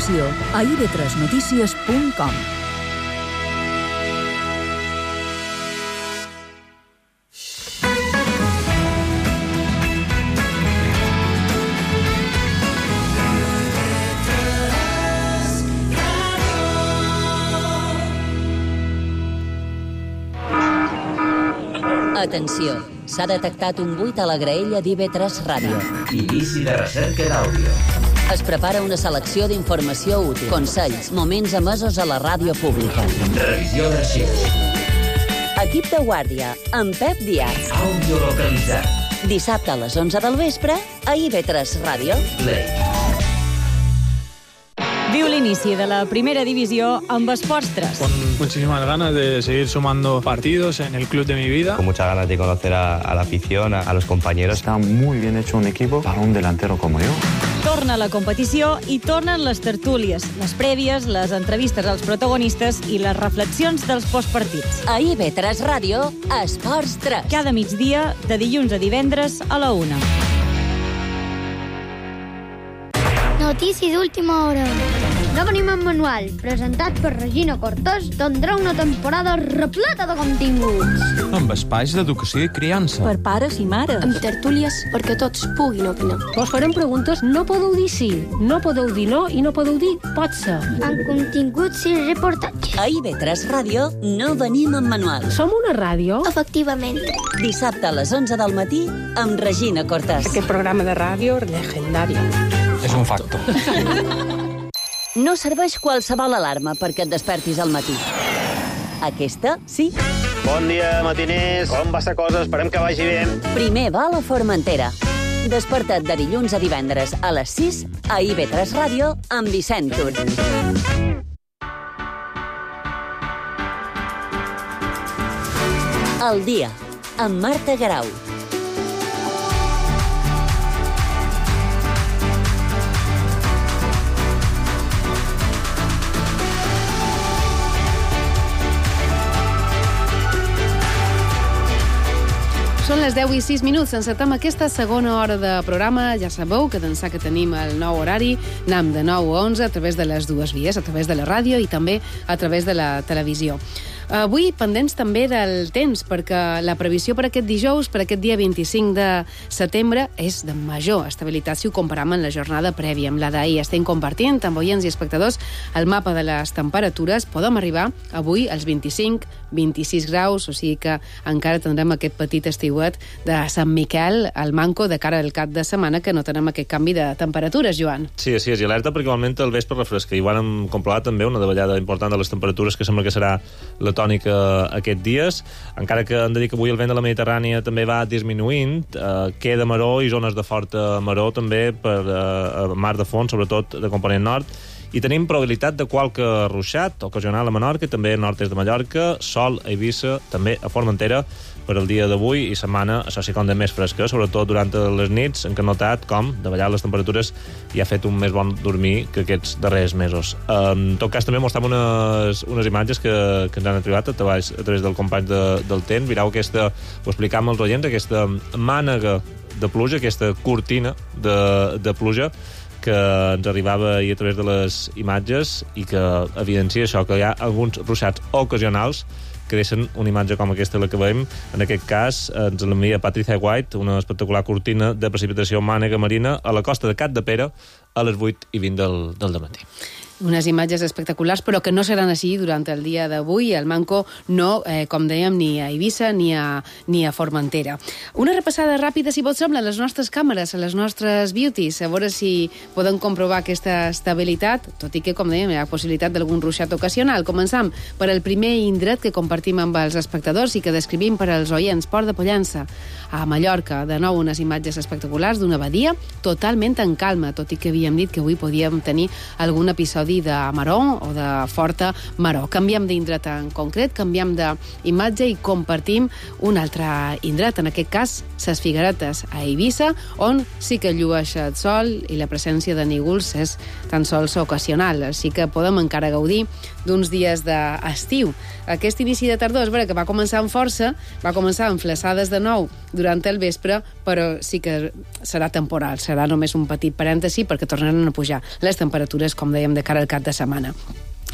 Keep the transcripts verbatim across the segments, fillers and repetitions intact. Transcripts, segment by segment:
informació a i ve tres notícies punt com. Atenció, s'ha detectat un buit a la graella d'I ve tres Ràdio. Inici de recerca d'àudio. Es prepara una selecció d'informació útil, consells, moments emesos a la ràdio pública. Revisió d'arxius. Equip de guàrdia, amb Pep Díaz. Àudio localitzat. Dissabte a les onze del vespre, a I ve tres Ràdio. Play. Viu l'inici de la primera divisió amb Esports tres. Con muchísimas ganas de seguir sumando partidos en el club de mi vida. Con muchas ganas de conocer a, a la afición, a, a los compañeros. Está muy bien hecho un equipo para un delantero como yo. Torna la competició i tornen les tertúlies, les prèvies, les entrevistes als protagonistes i les reflexions dels postpartits. A I ve tres Ràdio, Esports tres. Cada migdia, de dilluns a divendres a la una. Notícia d'última hora. No venim en manual, presentat per Regina Cortés, tindrà una temporada repleta de continguts. Amb espais d'educació i criança. Per pares i mares. Amb tertúlies perquè tots puguin opinar. Vos farem preguntes, no podeu dir sí, no podeu dir no i no podeu dir pot ser. Amb continguts i reportatges. A I ve tres Ràdio no venim en manual. Som una ràdio? Efectivament. Dissabte a les onze del matí amb Regina Cortés. Aquest programa de ràdio legendari. És un facto. No serveix qualsevol alarma perquè et despertis al matí. Aquesta, sí. Bon dia, matiners. Com va la cosa? Esperem que vagi bé. Primer va a la Formentera. Desperta't de dilluns a divendres a les sis a I ve tres Ràdio amb Vicent Tur. El dia, amb Marta Garau. Són les deu i sis minuts. Encetem aquesta segona hora de programa. Ja sabeu que d'ençà que tenim el nou horari, anem de nou a onze a través de les dues vies, a través de la ràdio i també a través de la televisió. Avui pendents també del temps, perquè la previsió per aquest dijous, per aquest dia vint-i-cinc de setembre, és de major estabilitat si ho comparem amb la jornada prèvia, amb la d'ahir. Estem compartint amb oients i espectadors el mapa de les temperatures. Podem arribar avui als vint-i-cinc, vint-i-sis graus, o sigui que encara tindrem aquest petit estiuet de Sant Miquel al manco de cara al cap de setmana, que no tenem aquest canvi de temperatures, Joan. Sí, sí, és alerta perquè igualment el vespre refresca. I ho hem comprovat també, una davallada important de les temperatures, que sembla que serà la tònica aquests dies, encara que hem de dir que avui el vent de la Mediterrània també va disminuint, eh, queda maró i zones de forta maró també per eh, mar de fons, sobretot de component nord, i tenim probabilitat de qualque ruixat ocasional a Menorca, també nord-est de Mallorca, sol a Eivissa, també a Formentera, per al dia d'avui i setmana, això sí com de més fresca, sobretot durant les nits, en què hem notat com, davallar les temperatures, i ha fet un més bon dormir que aquests darrers mesos. En tot cas, també mostrem unes, unes imatges que, que ens han arribat a través, a través del company de, del temps. Mireu aquesta, ho explicàvem als oients, aquesta mànega de pluja, aquesta cortina de, de pluja, que ens arribava ahir a través de les imatges i que evidencia això, que hi ha alguns ruixats ocasionals que deixen una imatge com aquesta la que veiem. En aquest cas ens l'envia Patricia White, una espectacular cortina de precipitació mànega marina a la costa de Capdepera a les vuit i vint del, del dematí. Unes imatges espectaculars, però que no seran així durant el dia d'avui. El manco no, eh, com dèiem, ni a Eivissa ni a, ni a Formentera. Una repassada ràpida, si vos sembla, a les nostres càmeres, a les nostres beauties, a veure si podem comprovar aquesta estabilitat, tot i que, com dèiem, hi ha possibilitat d'algun ruixat ocasional. Començam per el primer indret que compartim amb els espectadors i que descrivim per als oients, Port de Pollença, a Mallorca. De nou, unes imatges espectaculars d'una badia totalment en calma, tot i que havíem dit que avui podíem tenir algun episodi gaudir de maror o de forta maror. Canviem d'indret en concret, canviem d'imatge i compartim un altre indret, en aquest cas, ses Figueretes a Eivissa, on sí que llueix el sol i la presència de nígols és tan sols ocasional, així que podem encara gaudir d'uns dies d'estiu. Aquest inici de tardor és vera que va començar amb força, va començar amb flaçades de nou durant el vespre, però sí que serà temporal, serà només un petit parèntesi perquè tornaran a pujar les temperatures, com dèiem, de cara al cap de setmana.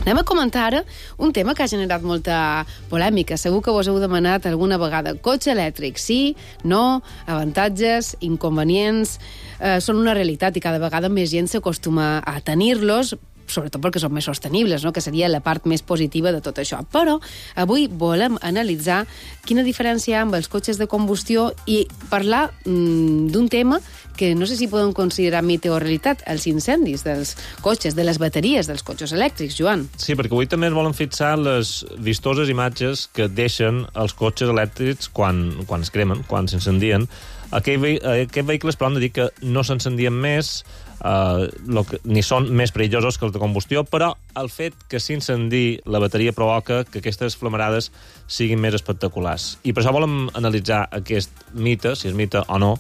Anem a comentar ara un tema que ha generat molta polèmica. Segur que vos heu demanat alguna vegada. Cotxe elèctric, sí, no, avantatges, inconvenients, eh, són una realitat i cada vegada més gent s'acostuma a tenir-los, sobretot perquè són més sostenibles, no? Que seria la part més positiva de tot això. Però avui volem analitzar quina diferència hi ha amb els cotxes de combustió i parlar mm, d'un tema que no sé si podem considerar mite o realitat, els incendis dels cotxes, de les bateries dels cotxes elèctrics, Joan. Sí, perquè avui també ens volen fixar les vistoses imatges que deixen els cotxes elèctrics quan, quan es cremen, quan s'incendien. Aquest ve aquest vehicles, però, hem de dir que no s'encendien més, uh, lo que, ni són més perillosos que els de combustió, però el fet que s'incendi la bateria provoca que aquestes flamarades siguin més espectaculars. I per això volem analitzar aquest mite, si és mite o no.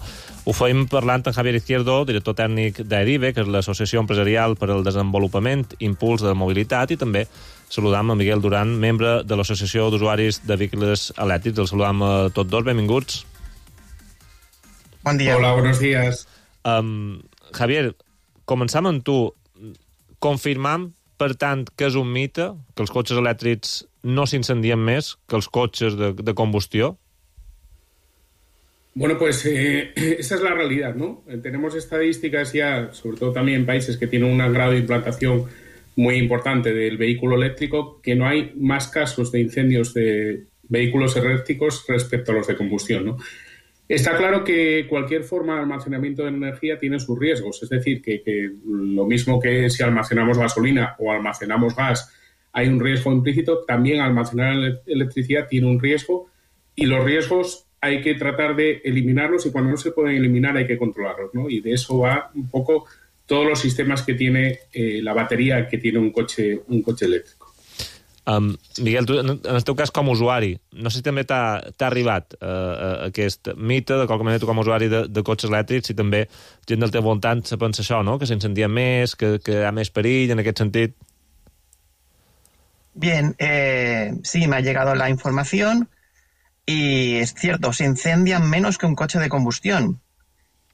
Ho fem parlant amb Javier Izquierdo, director tècnic d'Erive, que és l'Associació Empresarial per al Desenvolupament i Impuls de la Mobilitat, i també saludam a Miguel Duran, membre de l'Associació d'Usuaris de Vehicles Elèctrics. Els saludam a tots dos, benvinguts. Bon dia. Hola, buenos días. Um, Javier, començam amb tu. Confirmam, per tant, que és un mite, que els cotxes elèctrics no s'incendien més que els cotxes de, de combustió? Bueno, pues eh, esa es la realidad, ¿no? Tenemos estadísticas ya, sobre todo también en países que tienen un grado de implantación muy importante del vehículo eléctrico, que no hay más casos de incendios de vehículos eléctricos respecto a los de combustión, ¿no? Está claro que cualquier forma de almacenamiento de energía tiene sus riesgos, es decir, que, que lo mismo que si almacenamos gasolina o almacenamos gas hay un riesgo implícito, también almacenar electricidad tiene un riesgo y los riesgos hay que tratar de eliminarlos y cuando no se pueden eliminar hay que controlarlos, ¿no? Y de eso va un poco todos los sistemas que tiene eh, la batería que tiene un coche, un coche eléctrico. Um, Miguel, tu, en el teu cas com a usuari, no sé si també t'ha arribat uh, aquest mite, de qualque manera tu com a usuari de, de cotxes elèctrics, i també gent del teu voltant se pensa això, no? Que s'incendia més, que, que hi ha més perill en aquest sentit. Bien, eh, sí, me ha llegado la información y es cierto, se incendian menos que un coche de combustión.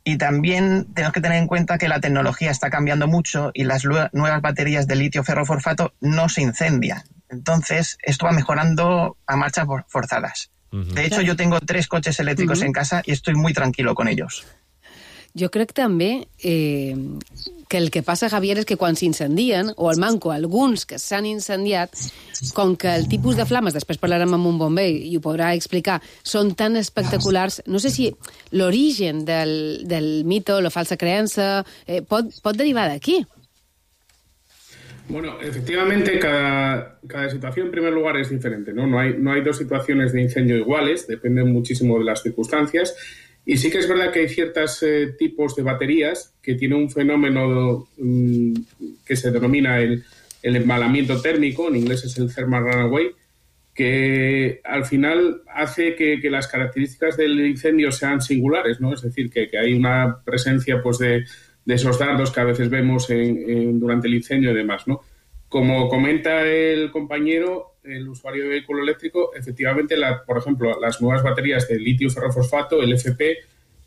Y también tenemos que tener en cuenta que la tecnología está cambiando mucho y las nuevas baterías de litio ferrofosfato no se incendian. Entonces, esto va mejorando a marchas forzadas. Uh-huh. De hecho, yo tengo tres coches eléctricos uh-huh. en casa y estoy muy tranquilo con ellos. Jo crec també eh, que el que passa, Javier, és que quan s'incendien, o al manco alguns que s'han incendiat, com que el tipus de flames, després parlarem amb un bomber i ho podrà explicar, són tan espectaculars, no sé si l'origen del, del mito, la falsa creença, eh, pot, pot derivar d'aquí. Bueno, efectivamente, cada, cada situación en primer lugar es diferente, ¿no? No hay, no hay dos situaciones de incendio iguales, dependen muchísimo de las circunstancias. Y sí que es verdad que hay ciertos eh, tipos de baterías que tienen un fenómeno um, que se denomina el, el embalamiento térmico, en inglés es el thermal runaway, que al final hace que, que las características del incendio sean singulares, ¿no? Es decir, que, que hay una presencia pues de, de esos dardos que a veces vemos en, en, durante el incendio y demás, ¿no? Como comenta el compañero, el usuario de vehículo eléctrico, efectivamente, la, por ejemplo, las nuevas baterías de litio ferrofosfato, el F P,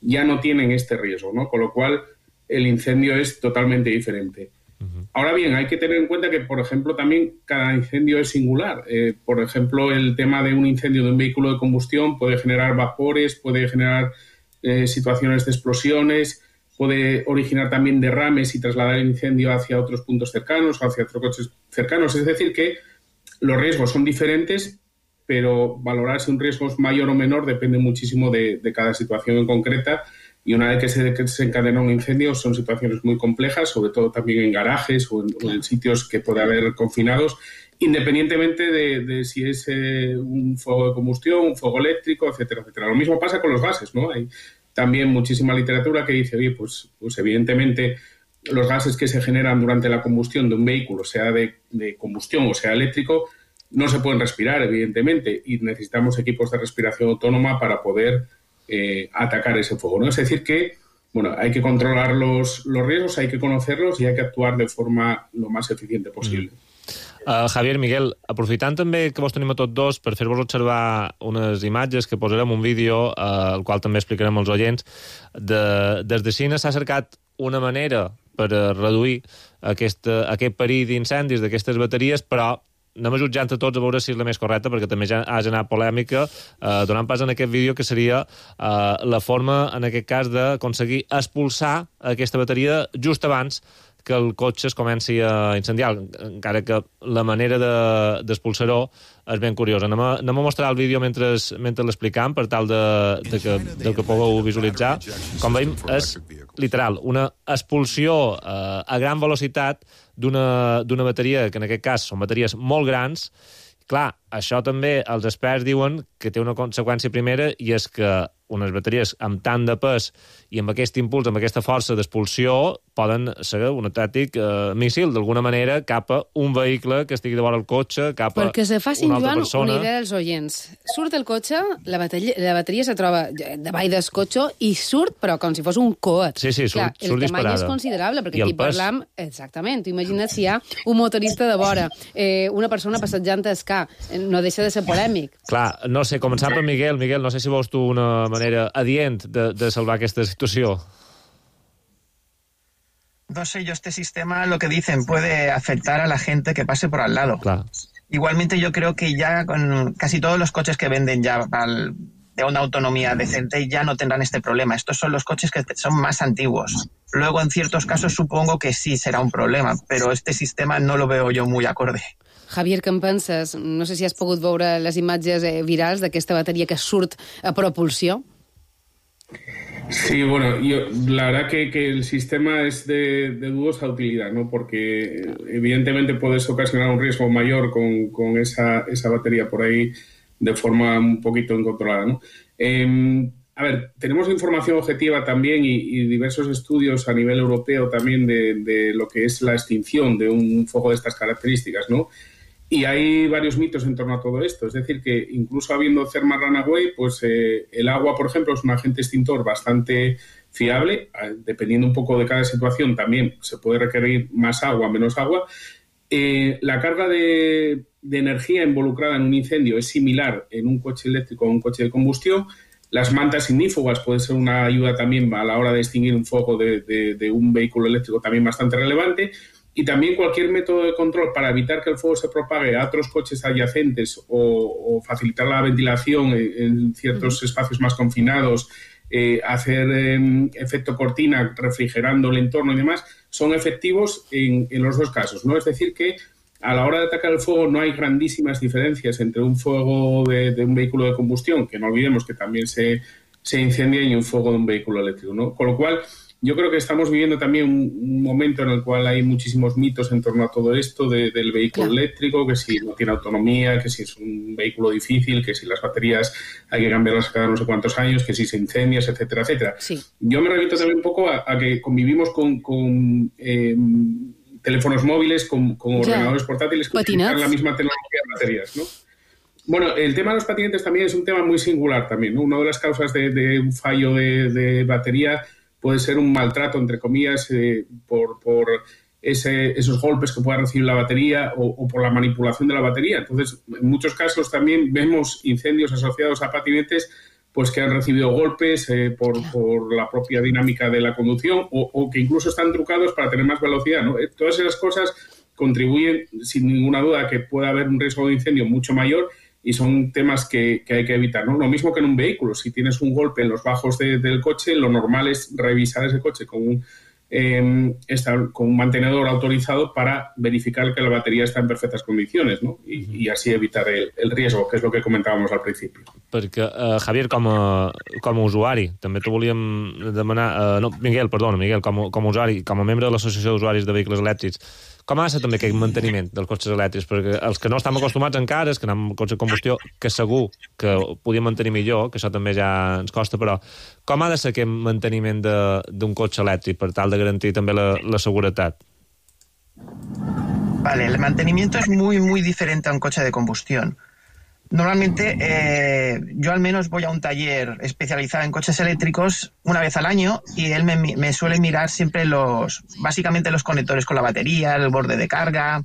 ya no tienen este riesgo, ¿no? Con lo cual, el incendio es totalmente diferente. Uh-huh. Ahora bien, hay que tener en cuenta que, por ejemplo, también cada incendio es singular. Eh, por ejemplo, el tema de un incendio de un vehículo de combustión puede generar vapores, puede generar eh, situaciones de explosiones, puede originar también derrames y trasladar el incendio hacia otros puntos cercanos o hacia otros coches cercanos. Es decir, que los riesgos son diferentes, pero valorar si un riesgo es mayor o menor depende muchísimo de, de cada situación en concreta. Y una vez que se desencadena un incendio son situaciones muy complejas, sobre todo también en garajes o en, o en sitios que puede haber confinados, independientemente de, de si es eh, un fuego de combustión, un fuego eléctrico, etcétera, etcétera. Lo mismo pasa con los gases, ¿no? Hay también muchísima literatura que dice, oye, pues, pues evidentemente los gases que se generan durante la combustión de un vehículo, sea de, de combustión o sea eléctrico, no se pueden respirar, evidentemente, y necesitamos equipos de respiración autónoma para poder eh, atacar ese fuego, ¿no? Es decir que, bueno, hay que controlar los, los riesgos, hay que conocerlos y hay que actuar de forma lo más eficiente posible. Mm. Uh, Javier, Miguel, aprofitant també que vos tenim a tots dos per fer-vos observar unes imatges que posarem un vídeo, uh, el qual també explicarem als oients, de, des de Xina s'ha cercat una manera per reduir aquest, aquest perill d'incendis d'aquestes bateries, però anem jutjant a tots a veure si és la més correcta, perquè també ja ha generat polèmica, eh, donant pas en aquest vídeo, que seria eh, la forma, en aquest cas, d'aconseguir expulsar aquesta bateria just abans que el cotxe es comenci a incendiar, encara que la manera de, d'expulsar-ho és ben curiosa. Anem a, anem a mostrar el vídeo mentre, mentre l'explicam, per tal de, de, que, de que pugueu visualitzar. Com veiem, és literal, una expulsió eh, a gran velocitat d'una, d'una bateria, que en aquest cas són bateries molt grans. Clar, això també els experts diuen que té una conseqüència primera, i és que unes bateries amb tant de pes i amb aquest impuls, amb aquesta força d'expulsió, poden ser un autèntic eh, míssil, d'alguna manera, cap a un vehicle que estigui de vora el cotxe, cap a Perquè se facin, una altra Joan, persona. una idea dels oients. Surt el cotxe, la bateria, la bateria se troba davall del cotxe i surt, però com si fos un coet. Sí, sí, surt, Clar, surt el disparada. tamany és considerable, perquè I el aquí pes. parlam... Exactament, tu imagina't si hi ha un motorista de vora, eh, una persona passejant a escar, no deixa de ser polèmic. Clar, no sé, començant per Miguel. Miguel, no sé si veus tu una manera adient de, de salvar aquesta situació. No sé, yo este sistema, lo que dicen, puede afectar a la gente que pase por al lado. Claro. Igualmente yo creo que ya con casi todos los coches que venden ya al, de una autonomía decente ya no tendrán este problema. Estos son los coches que son más antiguos. Luego, en ciertos casos, supongo que sí será un problema, pero este sistema no lo veo yo muy acorde. Javier, què en penses? No sé si has pogut veure les imatges eh, virals d'aquesta bateria que surt a propulsió. Sí, bueno, yo, la verdad que, que el sistema es de, de dudosa utilidad, ¿no? Porque evidentemente puedes ocasionar un riesgo mayor con, con esa, esa batería por ahí de forma un poquito incontrolada, ¿no? Eh, a ver, tenemos información objetiva también y, y diversos estudios a nivel europeo también de, de lo que es la extinción de un fuego de estas características, ¿no? Y hay varios mitos en torno a todo esto. Es decir, que incluso habiendo thermal runaway, pues eh, el agua, por ejemplo, es un agente extintor bastante fiable. Dependiendo un poco de cada situación, también se puede requerir más agua, menos agua. Eh, la carga de, de energía involucrada en un incendio es similar en un coche eléctrico o un coche de combustión. Las mantas ignífugas pueden ser una ayuda también a la hora de extinguir un fuego de, de, de un vehículo eléctrico, también bastante relevante. Y también cualquier método de control para evitar que el fuego se propague a otros coches adyacentes o, o facilitar la ventilación en, en ciertos espacios más confinados, eh, hacer eh, efecto cortina refrigerando el entorno y demás, son efectivos en, en los dos casos, ¿no? Es decir que a la hora de atacar el fuego no hay grandísimas diferencias entre un fuego de, de un vehículo de combustión, que no olvidemos que también se, se incendia, y un fuego de un vehículo eléctrico, ¿no? Con lo cual, yo creo que estamos viviendo también un, un momento en el cual hay muchísimos mitos en torno a todo esto de, del vehículo claro. eléctrico, que si no tiene autonomía, que si es un vehículo difícil, que si las baterías hay que cambiarlas cada no sé cuántos años, que si se incendia, etcétera, etcétera. Sí. Yo me remito también un poco a, a que convivimos con, con eh, teléfonos móviles, con, con ordenadores yeah. portátiles que utilizan la misma tecnología de baterías, ¿no? Bueno, el tema de los patinetes también es un tema muy singular también, ¿no? Una de las causas de, de un fallo de, de batería puede ser un maltrato, entre comillas, eh, por, por ese, esos golpes que pueda recibir la batería o, o por la manipulación de la batería. Entonces, en muchos casos también vemos incendios asociados a patinetes pues que han recibido golpes eh, por, por la propia dinámica de la conducción o, o que incluso están trucados para tener más velocidad, ¿no? Eh, todas esas cosas contribuyen, sin ninguna duda, a que pueda haber un riesgo de incendio mucho mayor, y son temas que, que hay que evitar, ¿no? Lo mismo que en un vehículo. Si tienes un golpe en los bajos de, del coche, lo normal es revisar ese coche con un, eh, esta, con un mantenedor autorizado para verificar que la batería está en perfectas condiciones, ¿no? Y, y así evitar el, el riesgo, que és el que comentàvem al principi. Perquè, uh, Javier, com a, com a usuari, també t'ho volíem demanar... Uh, no, Miguel, perdona, Miguel, com a, com a usuari, com a membre de l'Associació d'Usuaris de Vehicles Elèctrics, Com ha de ser també aquest manteniment dels cotxes elèctrics? Perquè els que no estem acostumats encara, és que anem amb cotxe de combustió, que segur que ho podíem mantenir millor, que això també ja ens costa, però com ha de ser aquest manteniment d'un cotxe elèctric per tal de garantir també la, la seguretat? Vale, el mantenimiento es muy, muy diferente a un coche de combustión. Normalmente, eh, yo al menos voy a un taller especializado en coches eléctricos una vez al año y él me, me suele mirar siempre los, básicamente los conectores con la batería, el borde de carga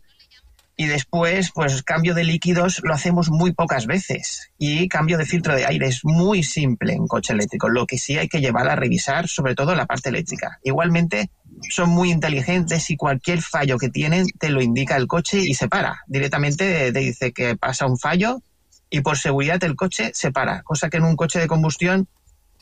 y después, pues cambio de líquidos lo hacemos muy pocas veces y cambio de filtro de aire es muy simple en coche eléctrico, lo que sí hay que llevar a revisar, sobre todo la parte eléctrica. Igualmente, son muy inteligentes y cualquier fallo que tienen te lo indica el coche y se para. Directamente te dice que pasa un fallo y por seguridad el coche se para, cosa que en un coche de combustión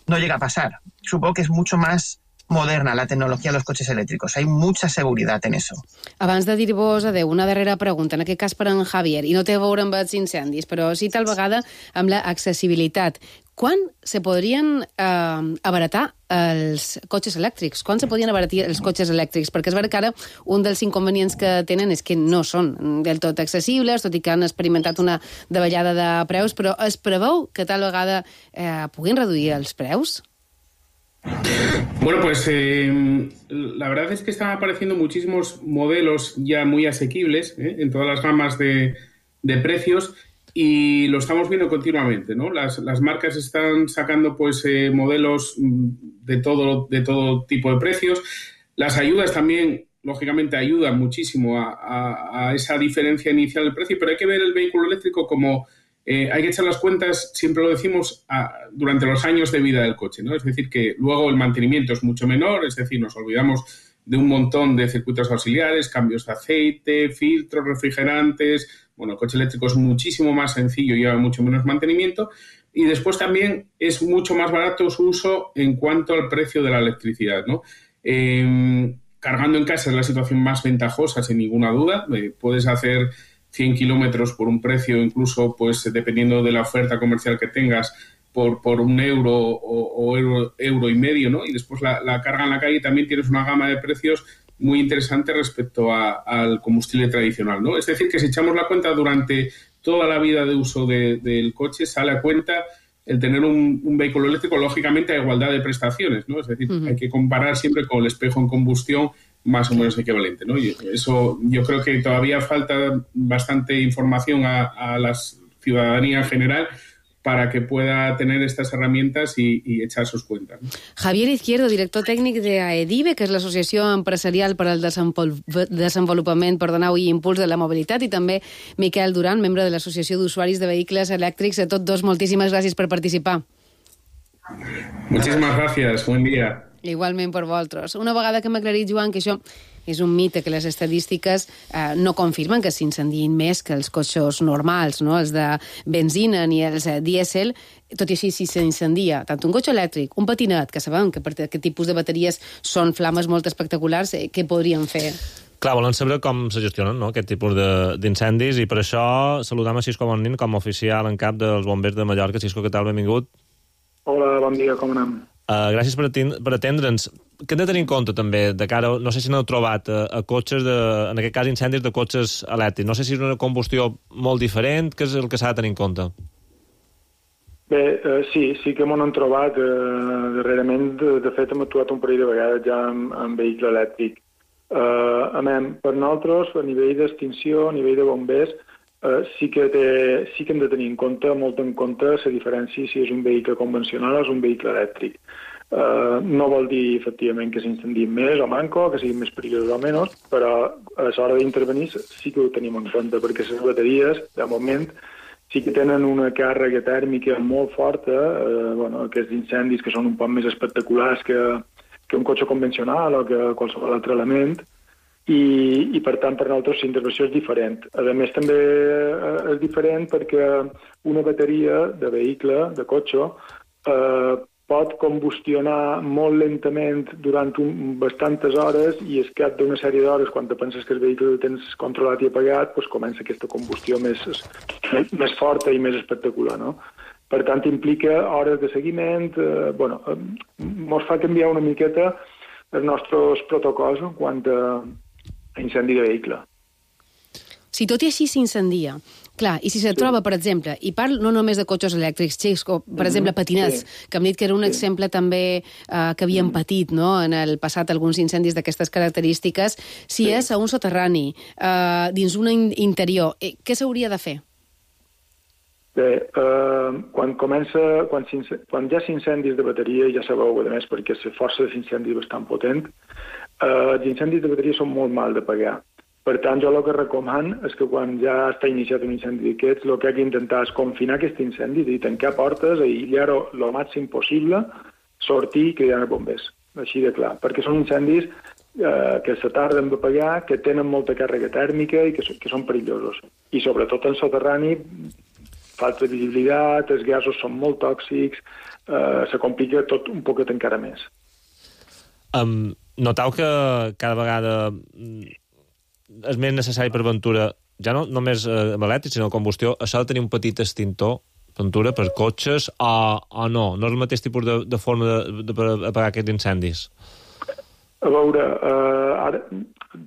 no llega a pasar. Supongo que es mucho más moderna la tecnologia dels cotxes elèctrics. Hay mucha seguridad en eso. Abans de dir-vos adeu, una darrera pregunta, en aquest cas per en Javier, i no té a veure amb els incendis, però sí tal vegada amb l'accessibilitat. Quan se podrien eh, abaratar els cotxes elèctrics? Quan se podien abaratir els cotxes elèctrics? Perquè és veritat que ara un dels inconvenients que tenen és que no són del tot accessibles, tot i que han experimentat una davallada de preus, però es preveu que tal vegada eh, puguin reduir els preus? Bueno, pues eh, la verdad es que están apareciendo muchísimos modelos ya muy asequibles ¿eh? en todas las gamas de, de precios y lo estamos viendo continuamente, ¿no? Las, las marcas están sacando pues eh, modelos de todo, de todo tipo de precios. Las ayudas también, lógicamente, ayudan muchísimo a, a, a esa diferencia inicial del precio, pero hay que ver el vehículo eléctrico como... Eh, hay que echar las cuentas, siempre lo decimos, a, durante los años de vida del coche, ¿no? Es decir, que luego el mantenimiento es mucho menor, es decir, nos olvidamos de un montón de circuitos auxiliares, cambios de aceite, filtros, refrigerantes. Bueno, el coche eléctrico es muchísimo más sencillo y lleva mucho menos mantenimiento. Y después también es mucho más barato su uso en cuanto al precio de la electricidad, ¿no? Eh, cargando en casa es la situación más ventajosa, sin ninguna duda. Eh, puedes hacer cien kilómetros por un precio, incluso pues dependiendo de la oferta comercial que tengas, por, por un euro o, o euro, euro y medio, ¿no? Y después la, la carga en la calle también tienes una gama de precios muy interesante respecto a, al combustible tradicional, ¿no? Es decir, que si echamos la cuenta durante toda la vida de uso de, del coche, sale a cuenta el tener un, un vehículo eléctrico, lógicamente, a igualdad de prestaciones, ¿no? Es decir, uh-huh. hay que comparar siempre con el espejo en combustión más o menos equivalente, ¿no? Y eso yo creo que todavía falta bastante información a, a la ciudadanía en general para que pueda tener estas herramientas y, y echar sus cuentas, ¿no? Javier Izquierdo, director tècnic de AEDIVE, que és l'Associació Empresarial per al Desenvolupament Perdoneu i Impuls de la Mobilitat, i també Miquel Duran, membre de l'Associació d'Usuaris de Vehicles Elèctrics. A tots dos, moltíssimes gràcies per participar. Muchísimas gracias, buen día. Igualment per vosaltres. Una vegada que hem aclarit, Joan, que això és un mite, que les estadístiques eh, no confirmen que s'incendiïn més que els cotxes normals, no? Els de benzina ni els eh, dièsel, tot i així si s'incendia tant un cotxe elèctric, un patinet, que sabem que per aquest tipus de bateries són flames molt espectaculars, eh, què podríem fer? Clar, volen saber com se gestionen, no?, aquest tipus d'incendis, i per això saludam a Xisco Bonnin com a oficial en cap dels bombers de Mallorca. Xisco, què tal? Benvingut. Hola, bon dia, com anem? Uh, gràcies per, per atendre'ns. Què hem de tenir en compte també de cara, no sé si n'heu trobat a, a cotxes, de, en aquest cas incendis de cotxes elèctrics, no sé si és una combustió molt diferent, què és el que s'ha de tenir en compte? Bé, eh, sí, sí que m'ho han trobat eh, darrerament, de, de fet hem actuat un parell de vegades ja amb, amb vehicle elèctric. Eh, a més, per nosaltres, a nivell d'extinció, a nivell de bombers, Uh, sí, que té, sí que hem de tenir en compte, molt en compte, la diferència si és un vehicle convencional o és un vehicle elèctric. Uh, no vol dir, efectivament, que s'incendiïn més o manco, que siguin més perillosos o menys, però a l'hora d'intervenir sí que ho tenim en compte, perquè les bateries, de moment, sí que tenen una càrrega tèrmica molt forta, uh, bueno, aquests incendis que són un poc més espectaculars que, que un cotxe convencional o que qualsevol altre element, I, i per tant per nosaltres la intervenció és diferent. A més també és diferent perquè una bateria de vehicle, de cotxe, eh, pot combustionar molt lentament durant un, bastantes hores i al cap d'una sèrie d'hores, quan te penses que el vehicle el tens controlat i apagat, doncs comença aquesta combustió més, més forta i més espectacular, no? Per tant, implica hores de seguiment, eh, bueno, ens fa canviar una miqueta els nostres protocols en quant a incendi de vehicle. Si tot i així s'incendia, clar, i si se troba, per exemple, i parlo no només de cotxes elèctrics, xics, o, per exemple, patinets, sí. que hem dit que era un sí. exemple també eh, que havien patit no? en el passat alguns incendis d'aquestes característiques, si sí. és a un soterrani, eh, dins un in interior, eh, què s'hauria de fer? Bé, eh, quan comença, quan, quan hi ha incendis de bateria, ja sabeu, a més, perquè la força de l'incendi és bastant potent, eh, els incendis de bateria són molt mal de pagar. Per tant, jo el que recomano és que quan ja està iniciat un incendi d'aquests, el que ha d'intentar és confinar aquest incendi, és a dir, tancar portes, aïllar-ho el màxim possible, sortir i cridar els bombers. Així de clar. Perquè són incendis eh, que se tarden d'apagar, que tenen molta càrrega tèrmica i que, que són perillosos. I sobretot en soterrani, falta de visibilitat, els gasos són molt tòxics, eh, se complica tot un poquet encara més. Um, notau que cada vegada és més necessari per Ventura, ja no només eh, amb elèctric, sinó combustió, això de tenir un petit extintor, Ventura, per cotxes, o, o no? No és el mateix tipus de, de forma de, de, per apagar aquests incendis? A veure, eh, ara,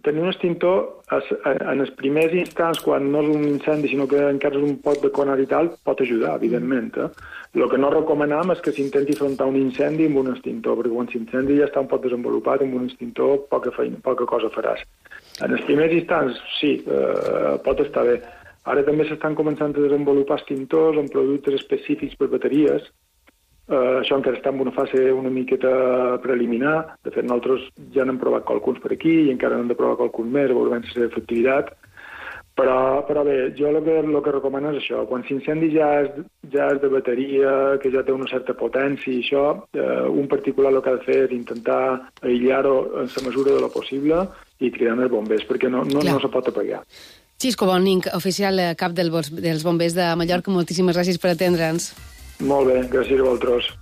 tenir un extintor, es, en els primers instants, quan no és un incendi, sinó que encara és un pot de conar i tal, pot ajudar, evidentment. Eh? El que no recomanem és que s'intenti afrontar un incendi amb un extintor, perquè quan l'incendi ja està un poc desenvolupat, amb un extintor poca, feina, poca cosa faràs. En els primers instants, sí, eh, pot estar bé. Ara també s'estan començant a desenvolupar extintors amb productes específics per bateries. Eh, això encara està en una fase una miqueta preliminar. De fet, nosaltres ja n'hem provat qualcuns per aquí i encara n'hem de provar qualcuns més, a veure la seva efectivitat. Però, però bé, jo el que, el que recomano és això. Quan l'incendi ja, és, ja és de bateria, que ja té una certa potència i això, eh, un particular el que ha de fer és intentar aïllar-ho en la mesura de lo possible i cridar els bombers, perquè no, no, no se pot apagar. Xisco Bonig, oficial cap del, dels bombers de Mallorca, moltíssimes gràcies per atendre'ns. Molt bé, gràcies a vosaltres.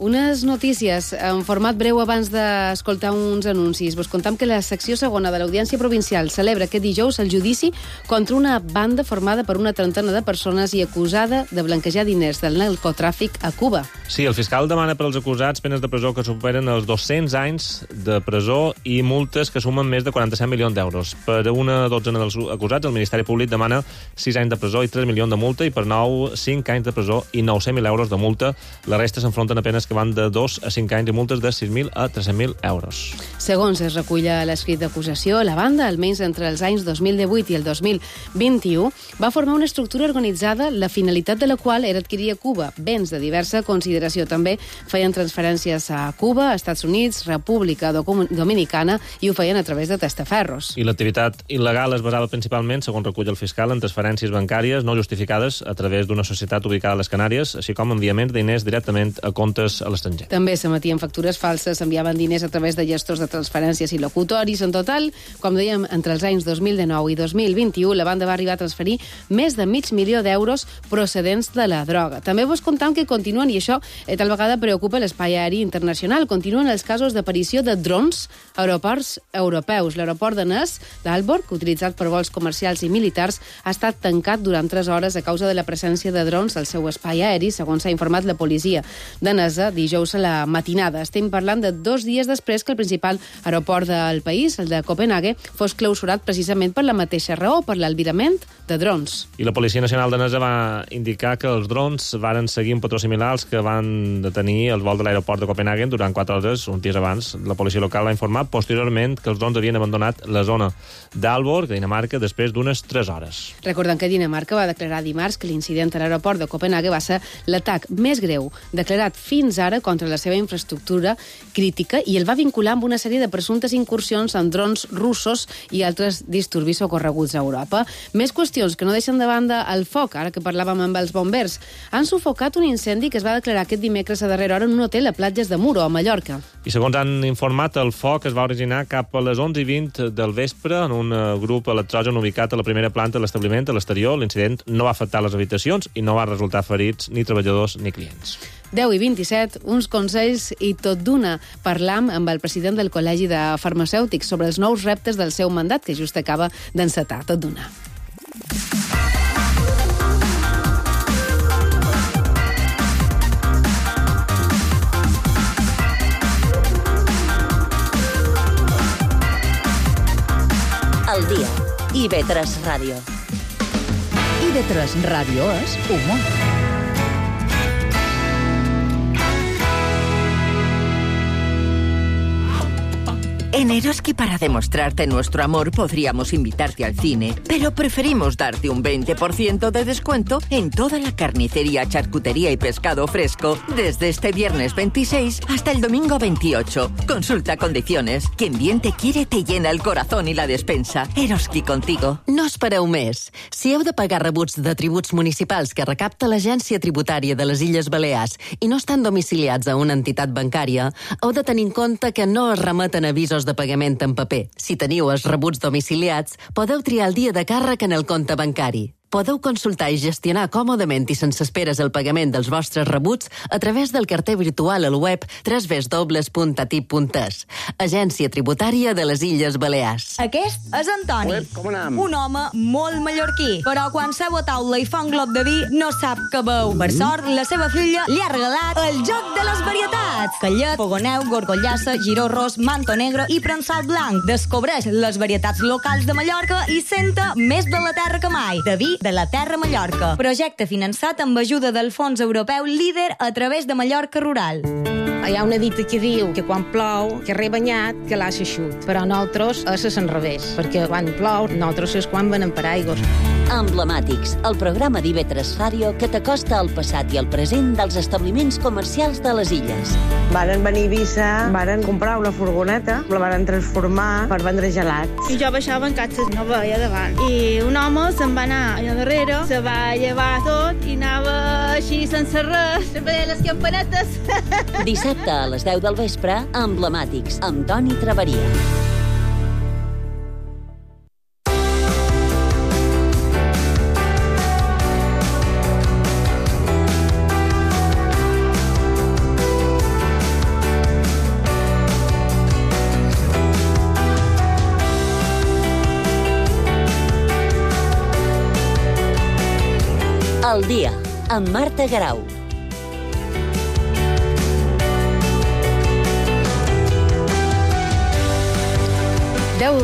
Unes notícies en format breu abans d'escoltar uns anuncis. Vos contam que la secció segona de l'Audiència Provincial celebra aquest dijous el judici contra una banda formada per una trentena de persones i acusada de blanquejar diners del narcotràfic a Cuba. Sí, el fiscal demana per als acusats penes de presó que superen els dos-cents anys de presó i multes que sumen més de quaranta-set milions d'euros. Per una dotzena dels acusats, el Ministeri Públic demana sis anys de presó i tres milions de multa i per nou, cinc anys de presó i nou-cents mil euros de multa. La resta s'enfronten a penes que van de dos a cinc anys i multes de sis mil a tres-cents mil euros. Segons es recull a l'escrit d'acusació, la banda, almenys entre els anys dos mil divuit i el dos mil vint-i-u, va formar una estructura organitzada, la finalitat de la qual era adquirir a Cuba béns de diversa consideració. També feien transferències a Cuba, Estats Units, República Dominicana i ho feien a través de testaferros. I l'activitat il·legal es basava principalment, segons recull el fiscal, en transferències bancàries no justificades a través d'una societat ubicada a les Canàries, així com enviaments de diners directament a comptes a l'estranger. També s'emetien factures falses, s'enviaven diners a través de gestors de transferències i locutoris. En total, com dèiem, entre els anys dos mil dinou i dos mil vint-i-u, la banda va arribar a transferir més de mig milió d'euros procedents de la droga. També vos contam que continuen, i això eh, tal vegada preocupa l'espai aeri internacional, continuen els casos d'aparició de drons a aeroports europeus. L'aeroport de Nes, d'Aalborg, utilitzat per vols comercials i militars, ha estat tancat durant tres hores a causa de la presència de drons al seu espai aeri, segons s'ha informat la policia danesa dijous a la matinada. Estem parlant de dos dies després que el principal aeroport del país, el de Copenhague, fos clausurat precisament per la mateixa raó, per l'albirament de drons. I la Policia Nacional danesa va indicar que els drons varen seguir un patró similar als que van detenir el vol de l'aeroport de Copenhague durant quatre hores, uns dies abans. La policia local va informar posteriorment que els drons havien abandonat la zona d'Aalborg, Dinamarca, després d'unes tres hores. Recordant que Dinamarca va declarar dimarts que l'incident a l'aeroport de Copenhague va ser l'atac més greu declarat fins ara contra la seva infraestructura crítica i el va vincular amb una sèrie de presumptes incursions en drons russos i altres disturbis ocorreguts a Europa. Més qüestions que no deixen de banda el foc, ara que parlàvem amb els bombers. Han sufocat un incendi que es va declarar aquest dimecres a darrera hora en un hotel a Platges de Muro, a Mallorca. I segons han informat, el foc es va originar cap a les onze i vint del vespre en un grup electrogen ubicat a la primera planta de l'establiment, a l'exterior. L'incident no va afectar les habitacions i no va resultar ferits ni treballadors ni clients. deu i vint-i-set, uns consells i tot d'una. Parlam amb el president del Col·legi de Farmacèutics sobre els nous reptes del seu mandat, que just acaba d'encetar. Tot d'una. I V tres Ràdio. I V tres Ràdio és humor. En Eroski, para demostrarte nuestro amor, podríamos invitarte al cine, pero preferimos darte un veinte por ciento de descuento en toda la carnicería, charcutería y pescado fresco desde este viernes veintiséis hasta el domingo veintiocho. Consulta condiciones. Quien bien te quiere te llena el corazón i la despensa. Eroski contigo. No espereu més. Si heu de pagar rebuts de tributs municipals que recapta l'Agència Tributària de les Illes Balears i no estan domiciliats a una entitat bancària, heu de tenir en compte que no es remeten avisos de pagament en paper. Si teniu els rebuts domiciliats, podeu triar el dia de càrrec en el compte bancari. Podeu consultar i gestionar còmodament i sense esperes el pagament dels vostres rebuts a través del carter virtual al web w w w punt atip punt es. Agència Tributària de les Illes Balears. Aquest és Antoni, Uep, com anem? un home molt mallorquí, però quan seu a taula i fa un glob de vi no sap què beu. Per sort, la seva filla li ha regalat el joc de les varietats. Callet, fogoneu, gorgollassa, giró ros, manto negro i prensat blanc. Descobreix les varietats locals de Mallorca i senta més de la terra que mai. De vi de la terra Mallorca. Projecte finançat amb ajuda del Fons Europeu Líder a través de Mallorca Rural. Hi ha una dita que diu que quan plou, que res banyat, que l'aixa xut. Però nosaltres és al revés, perquè quan plou, nosaltres és quan venen per aigües. Emblemàtics, el programa d'I V tres Ràdio que t'acosta al passat i al present dels establiments comercials de les illes. Varen venir a Eivissa, varen comprar una furgoneta, la varen transformar per vendre gelats. I jo baixava en catxes, no veia davant. I un home se'n va anar allà darrere, se va llevar tot i anava així sense res, sempre deia les campanetes. Dissabte a les deu del vespre, Emblemàtics, amb Toni Traveria. El dia, amb Marta Garau. Deu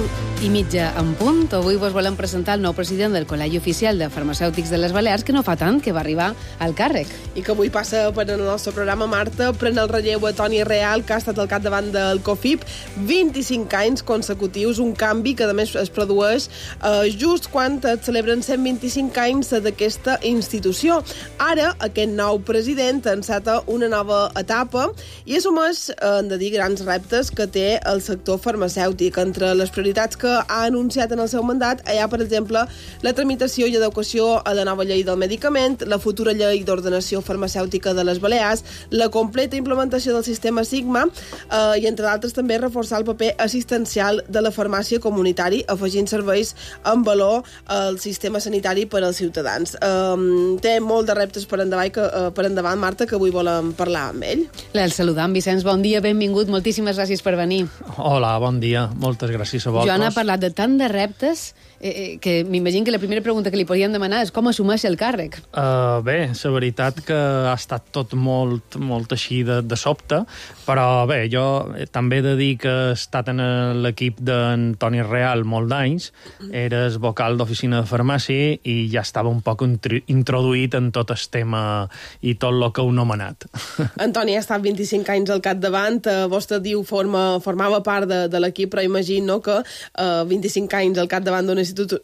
i mitja en punt. Avui vos volem presentar el nou president del Col·legi Oficial de Farmacèutics de les Balears, que no fa tant que va arribar al càrrec. I que avui passa per el nostre programa, Marta, pren el relleu a Toni Real, que ha estat al capdavant del COFIP vint-i-cinc anys consecutius, un canvi que a més es produeix eh, just quan es celebren cent vint-i-cinc anys d'aquesta institució. Ara, aquest nou president enceta una nova etapa i assumeix, eh, hem de dir, grans reptes que té el sector farmacèutic. Entre les prioritats que ha anunciat en el seu mandat hi ha, per exemple, la tramitació i adequació a la nova llei del medicament, la futura llei d'ordenació farmacèutica de les Balears, la completa implementació del sistema Sigma eh, i, entre d'altres, també reforçar el paper assistencial de la farmàcia comunitari, afegint serveis en valor al sistema sanitari per als ciutadans. Eh, té molt de reptes per endavant, que, eh, per endavant, Marta, que avui volem parlar amb ell. El saludam, Vicenç, bon dia, benvingut, moltíssimes gràcies per venir. Hola, bon dia, moltes gràcies a vosaltres. Joan ha parlat de tant de reptes eh, que m'imagino que la primera pregunta que li podíem demanar és com assumeix el càrrec. Uh, bé, la veritat que ha estat tot molt, molt així de, de sobte, però bé, jo també he de dir que he estat en l'equip d'en Toni Real molt d'anys, eres vocal d'oficina de farmàcia i ja estava un poc introduït en tot el tema i tot el que heu nomenat. Antoni ha estat vint-i-cinc anys al capdavant, eh, vostè diu forma, formava part de, de l'equip, però imagino que eh, vint-i-cinc anys al capdavant d'una institu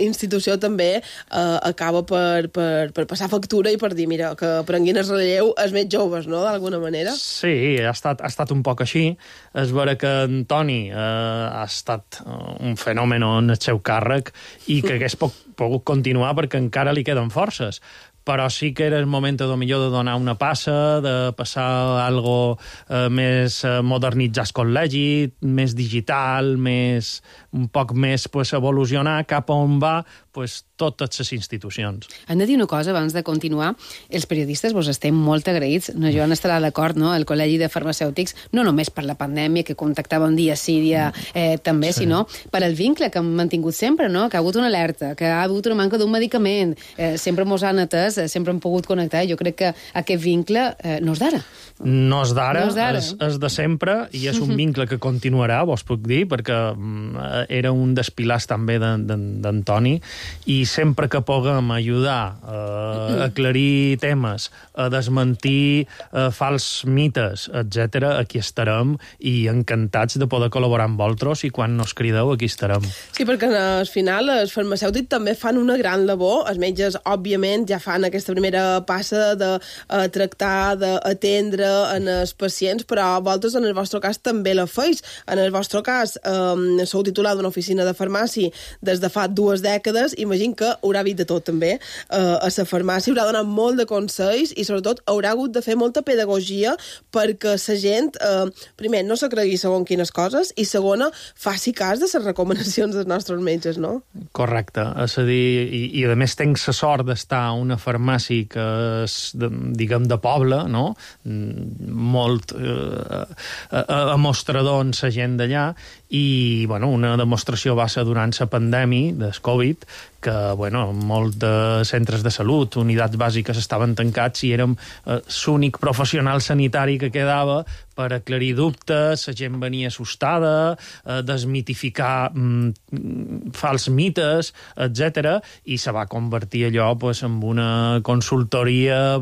institució també eh, acaba per, per, per passar factura i per dir, mira, que prenguin el relleu els més joves, no?, d'alguna manera. Sí, ha estat, ha estat un poc així. És vera que en Toni eh, ha estat un fenomen en el seu càrrec i que hagués pogut continuar perquè encara li queden forces. Però sí que era el moment de millor de donar una passa, de passar a algo eh, més modernitzat al col·legi, més digital, més, un poc més pues, evolucionar cap on va pues, totes les institucions. Hem de dir una cosa abans de continuar. Els periodistes vos estem molt agraïts, no, Joan estarà d'acord, no? El Col·legi de Farmacèutics, no només per la pandèmia, que contactàvem dia sí, dia eh, també, sí. sinó per el vincle que hem mantingut sempre, no? Que ha hagut una alerta, que ha hagut una manca d'un medicament, eh, sempre mos han atès, eh, sempre hem pogut connectar. Jo crec que aquest vincle eh, no és d'ara. No és d'ara, no és, és, és de sempre, i és un vincle que continuarà, vos puc dir, perquè mm, era un dels pilars també d'en Toni, i sempre que puguem ajudar eh, a aclarir temes, a desmentir eh, fals mites, etcètera, aquí estarem, i encantats de poder col·laborar amb vosaltres, i quan nos crideu, aquí estarem. Sí, perquè al final els farmacèutics també fan una gran labor. Els metges, òbviament, ja fan aquesta primera passa de uh, tractar, d'atendre en els pacients, però vosaltres, en el vostre cas, també la feis. En el vostre cas, um, sou titular d'una oficina de farmàcia des de fa dues dècades. Imagino que haurà vist de tot, també, uh, a la farmàcia. Haurà donat molt de consells i, sobretot, haurà hagut de fer molta pedagogia perquè la gent, uh, primer, no se cregui segons quines coses, i segona, faci cas de les recomanacions dels nostres metges, no? Correcte. És a dir, i, i a més tenc la sort d'estar a una farmàcia que és, de, diguem, de poble, no? Molt eh, a, a mostrador en la gent d'allà, i bueno, una demostració va ser durant la pandèmia del Covid, que bueno, molts de centres de salut, unitats bàsiques estaven tancats i érem eh, l'únic professional sanitari que quedava per aclarir dubtes, la gent venia assustada, eh, desmitificar mm, fals mites, etcètera, i se va convertir allò pues, en una consultoria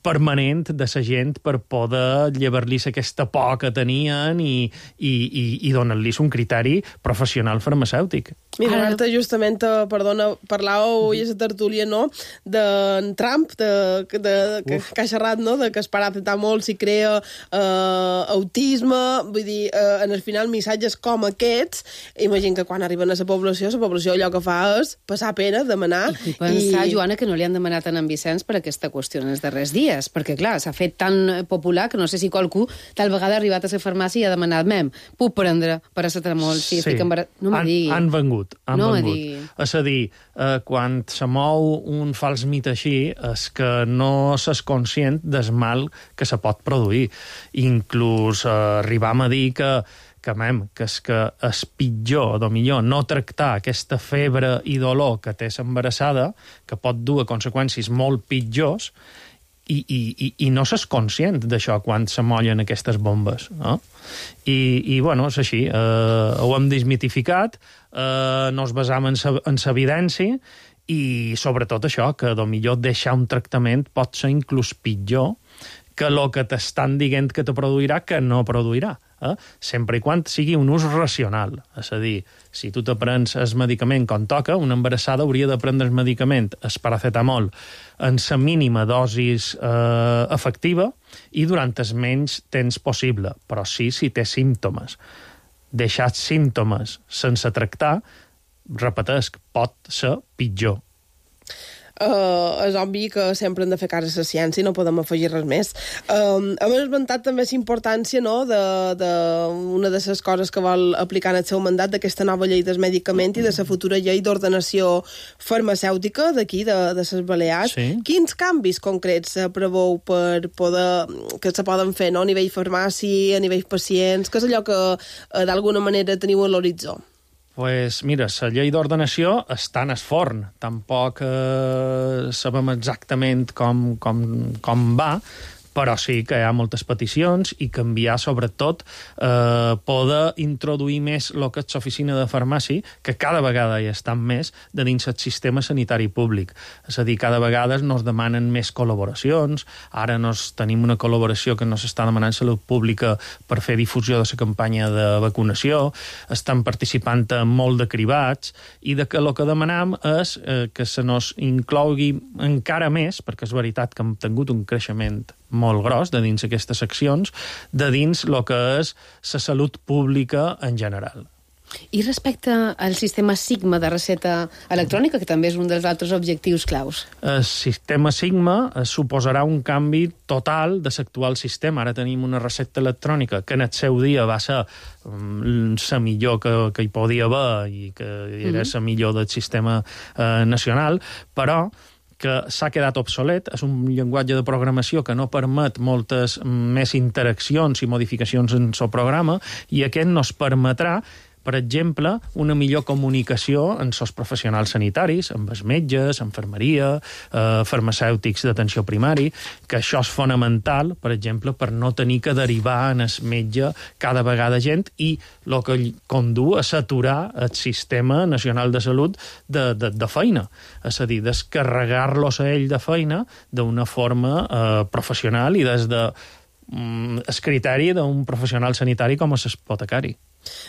permanent de la gent per poder llevar-los aquesta por que tenien i, i, i, i donar-los un criteri professional farmacèutic. Mira, Marta, justament, perdona, parlàveu i a la tertúlia, no?, d'en Trump, de, de, que, que ha xerrat, no?, de que es para apretar molt si crea eh, autisme, vull dir, eh, en el final missatges com aquests, imagino que quan arriben a la població, la població allò que fa és passar pena, demanar... I pensar, i... Joana, que no li han demanat a en Vicenç per aquesta qüestió en els darrers dies, perquè, clar, s'ha fet tan popular que no sé si qualcú tal vegada ha arribat a la farmàcia i ha demanat, mem, puc prendre paracetamol si sí. estic embarat... No han, digui. han vengut. Han no vengut. És a dir, eh, quan se mou un fals mit així, és que no s'és conscient del mal que se pot produir. Inclús eh, arribam a dir que que, mem, que és que és pitjor, o millor, no tractar aquesta febre i dolor que té l'embarassada, que pot dur a conseqüències molt pitjors, i, i, i, i no s'és conscient d'això quan se mollen aquestes bombes, no? I, i bueno, és així, eh, ho hem desmitificat, eh, no es basam en l'evidència, i sobretot això, que millor deixar un tractament pot ser inclús pitjor que el que t'estan dient que te produirà que no produirà. Eh? Sempre i quan sigui un ús racional. És a dir, si tu te prens el medicament com toca, una embarassada hauria de prendre el medicament, el paracetamol, en la mínima dosis eh, efectiva i durant el menys temps possible, però sí si té símptomes. Deixar símptomes sense tractar, repetesc, pot ser pitjor. Uh, és obvi que sempre hem de fer cas a la ciència i no podem afegir res més. Um, hem esmentat també la importància, no?, de, de una de les coses que vol aplicar en el seu mandat, d'aquesta nova llei del medicament i de la futura llei d'ordenació farmacèutica d'aquí, de, de les Balears. Sí. Quins canvis concrets se preveu per poder, que se poden fer, no?, a nivell farmàcia, a nivell pacients, que és allò que uh, d'alguna manera teniu a l'horitzó? Pues mira, la llei d'ordenació està en el forn. Tampoc eh, sabem exactament com, com, com va, però sí que hi ha moltes peticions i canviar, sobretot, eh, poder introduir més el que és l'oficina de farmàcia, que cada vegada hi estan més de dins el sistema sanitari públic. És a dir, cada vegada nos demanen més col·laboracions, ara nos tenim una col·laboració que nos està demanant Salut Pública per fer difusió de la campanya de vacunació, estan participant en molt de cribats, i de que el que demanam és eh, que se nos inclogui encara més, perquè és veritat que hem tingut un creixement molt gros de dins aquestes seccions, de dins el que és la salut pública en general. I respecte al sistema Sigma de recepta electrònica, que també és un dels altres objectius claus? El sistema Sigma suposarà un canvi total de l'actual sistema. Ara tenim una recepta electrònica que en el seu dia va ser la millor que, que hi podia haver i que era la millor del sistema eh, nacional, però que s'ha quedat obsolet, és un llenguatge de programació que no permet moltes més interaccions i modificacions en el programa, i aquest nos permetrà, per exemple, una millor comunicació amb els professionals sanitaris, amb els metges, infermeria, eh, farmacèutics d'atenció primari, que això és fonamental, per exemple, per no tenir que derivar en el metge cada vegada gent, i el que condu a saturar el sistema nacional de salut de, de, de feina. És a dir, descarregar-los a ell de feina d'una forma eh, professional i des de mm, el criteri d'un professional sanitari com és l'apotecari.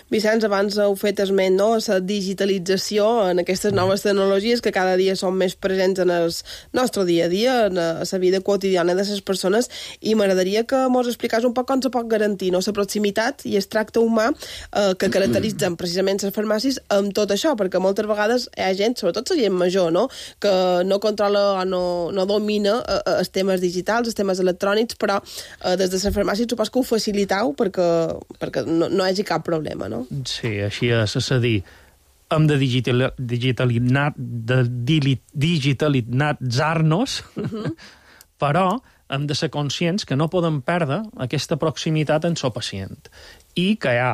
Vicenç, abans heu fet esment, no?, la digitalització en aquestes noves tecnologies que cada dia són més presents en el nostre dia a dia, en la vida quotidiana de les persones, i m'agradaria que mos expliqués un poc com se pot garantir, no?, la proximitat i el tracte humà eh, que caracteritzen precisament les farmàcies amb tot això, perquè moltes vegades hi ha gent, sobretot la gent major, no?, que no controla o no, no domina eh, els temes digitals, els temes electrònics, però eh, des de les farmàcies supos que ho facilitau perquè, perquè no, no hi hagi cap problema. No? Sí, així és, és a dir, hem de digitalitzar, de digitalitzar-nos, uh-huh. però hem de ser conscients que no podem perdre aquesta proximitat amb el pacient i que hi ha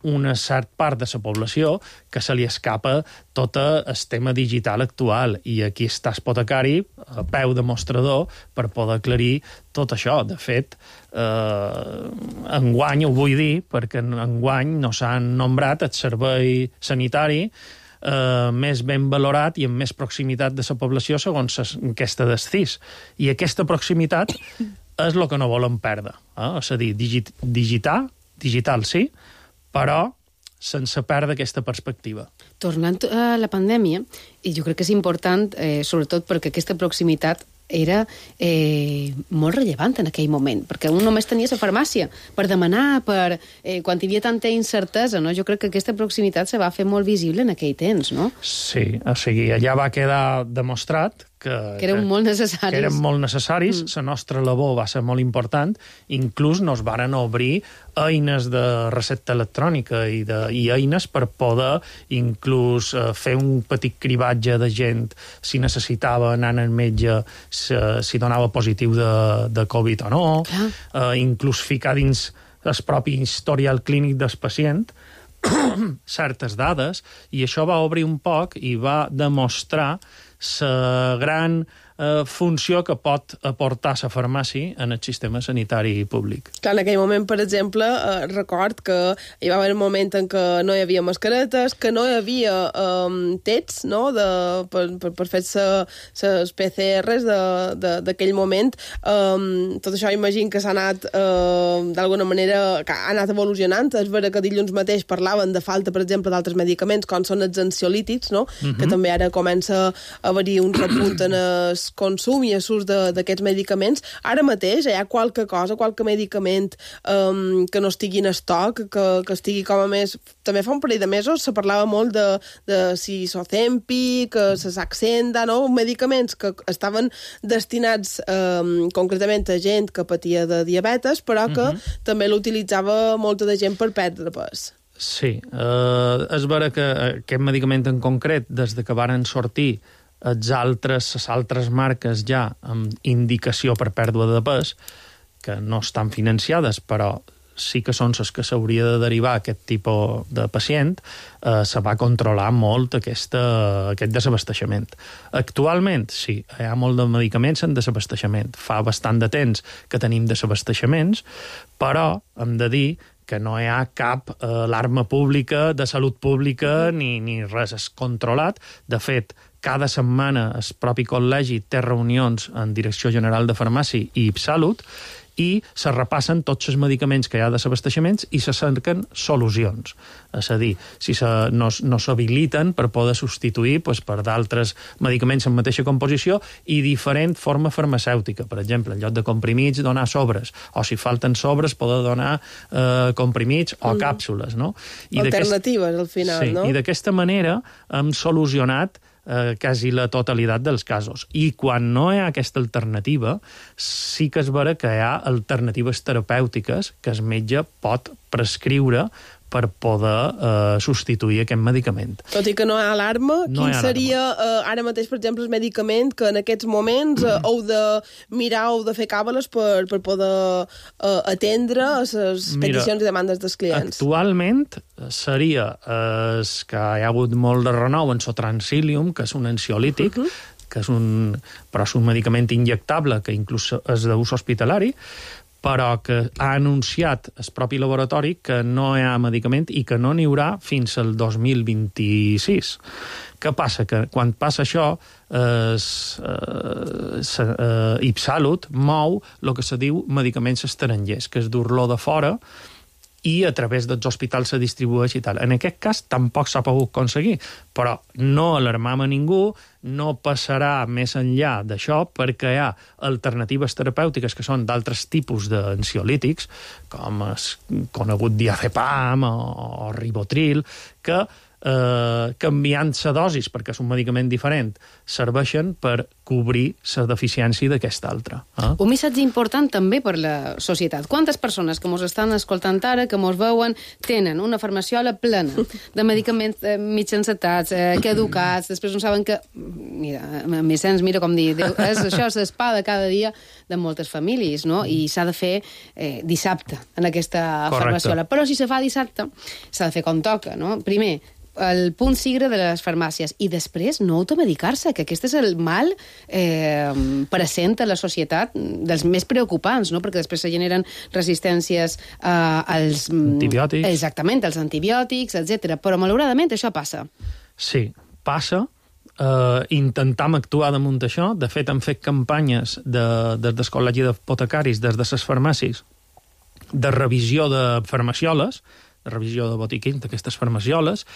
una certa part de la població que se li escapa tot el tema digital actual, i aquí està l'apotecari a peu de mostrador per poder aclarir tot això. De fet, eh, enguany ho vull dir, perquè enguany no s'han nombrat el servei sanitari eh, més ben valorat i amb més proximitat de la població segons aquesta del C I S. I aquesta proximitat és el que no volem perdre. Eh? És a dir, digit, digitar, digital sí, però sense perdre aquesta perspectiva. Tornant a la pandèmia, i jo crec que és important, eh, sobretot perquè aquesta proximitat era eh, molt rellevant en aquell moment, perquè un només tenia la farmàcia per demanar, per, eh, quan hi havia tanta incertesa, no? Jo crec que aquesta proximitat se va fer molt visible en aquell temps, no? Sí, o sigui, allà va quedar demostrat que, que eren molt necessaris. Que eren molt necessaris, mm. la nostra labor va ser molt important, inclús nos varen obrir eines de recepta electrònica i, de, i eines per poder inclús eh, fer un petit cribatge de gent si necessitava anar al metge, si, si donava positiu de, de Covid o no, eh, inclús ficar dins el propi historial clínic del pacient certes dades, i això va obrir un poc i va demostrar la gran eh, funció que pot aportar la farmàcia en el sistema sanitari públic. Clar, en aquell moment, per exemple, eh, record que hi va haver un moment en què no hi havia mascaretes, que no hi havia eh, tests, no?, de, per, per, per fer les P C Rs d'aquell moment. Eh, tot això imagino que s'ha anat eh, d'alguna manera, que ha anat evolucionant. És vera que dilluns mateix parlaven de falta, per exemple, d'altres medicaments, com són els ansiolítics, no?, uh-huh. que també ara comença a haver-hi un repunt en el consum i l'ús d'aquests medicaments. Ara mateix hi ha qualque cosa, qualque medicament um, que no estigui en estoc, que, que estigui com a més... També fa un parell de mesos se parlava molt de, de si Ozempic, la Saxenda, no?, medicaments que estaven destinats um, concretament a gent que patia de diabetes, però que uh-huh. també l'utilitzava molta de gent per perdre pes. Sí, eh, és vera que aquest medicament en concret, des de que varen sortir els altres, les altres marques ja amb indicació per pèrdua de pes, que no estan financiades, però sí que són les que s'hauria de derivar a aquest tipus de pacient, eh, se va controlar molt aquesta, aquest desabasteixement. Actualment, sí, hi ha molt de medicaments en desabasteixement. Fa bastant de temps que tenim desabasteixements, però hem de dir que no hi ha cap eh, alarma pública, de salut pública, ni, ni res. És controlat. De fet, cada setmana el propi col·legi té reunions en Direcció General de Farmàcia i Salut, i se repassen tots els medicaments que hi ha de l'abasteixament i se cerquen solucions. És a dir, si se, no, no s'habiliten per poder substituir pues, per d'altres medicaments en mateixa composició i diferent forma farmacèutica. Per exemple, en lloc de comprimits, donar sobres. O si falten sobres, poder donar eh, comprimits o mm. càpsules. No? I alternatives, al final, sí, no? I d'aquesta manera hem solucionat eh, quasi la totalitat dels casos. I quan no hi ha aquesta alternativa, sí que és vera que hi ha alternatives terapèutiques que el metge pot prescriure per poder eh, substituir aquest medicament. Tot i que no hi ha alarma, no quin ha seria eh, ara mateix, per exemple, el medicament que en aquests moments eh, heu de mirar, heu de fer càbales per, per poder eh, atendre les peticions i demandes dels clients? Actualment seria eh, que hi ha hagut molt de renou en Sotransilium, que és un ansiolític, uh -huh. que és un, però és un medicament injectable que inclús és d'ús hospitalari, però que ha anunciat el propi laboratori que no hi ha medicament i que no n'hi haurà fins al dos mil vint-i-sis. Què passa? Que quan passa això, es, es, eh, IpSalut mou el que se diu medicaments estrangers, que és dur-lo de fora i a través dels hospitals se distribueix i tal. En aquest cas tampoc s'ha pogut aconseguir, però no alarmam a ningú, no passarà més enllà d'això perquè hi ha alternatives terapèutiques que són d'altres tipus d'ansiolítics, com el conegut diazepam o, o ribotril, que eh, canviant la dosis, perquè és un medicament diferent, serveixen per cobrir la deficiència d'aquesta altra. Eh? Un missatge important també per la societat. Quantes persones que mos estan escoltant ara, que mos veuen, tenen una farmaciola plena de medicaments eh, mig encetats, eh, caducats, després no saben que... Mira, en Vicenç, mira com dir, és això, és l'espada cada dia de moltes famílies, no? I s'ha de fer eh, dissabte en aquesta Correcte. farmaciola. Però si se fa dissabte, s'ha de fer com toca, no? Primer, el punt sigre de les farmàcies i després no automedicar-se, que aquest és el mal eh, present a la societat dels més preocupants, no? Perquè després se generen resistències eh, als... Antibiòtics. Exactament, als antibiòtics, etcètera. Però malauradament això passa. Sí, passa. Uh, intentam actuar damunt això. De fet, hem fet campanyes de, des del Col·legi d'Apotecaris, des de les farmàcies, de revisió de farmacioles, de revisió de botiquins d'aquestes farmacioles,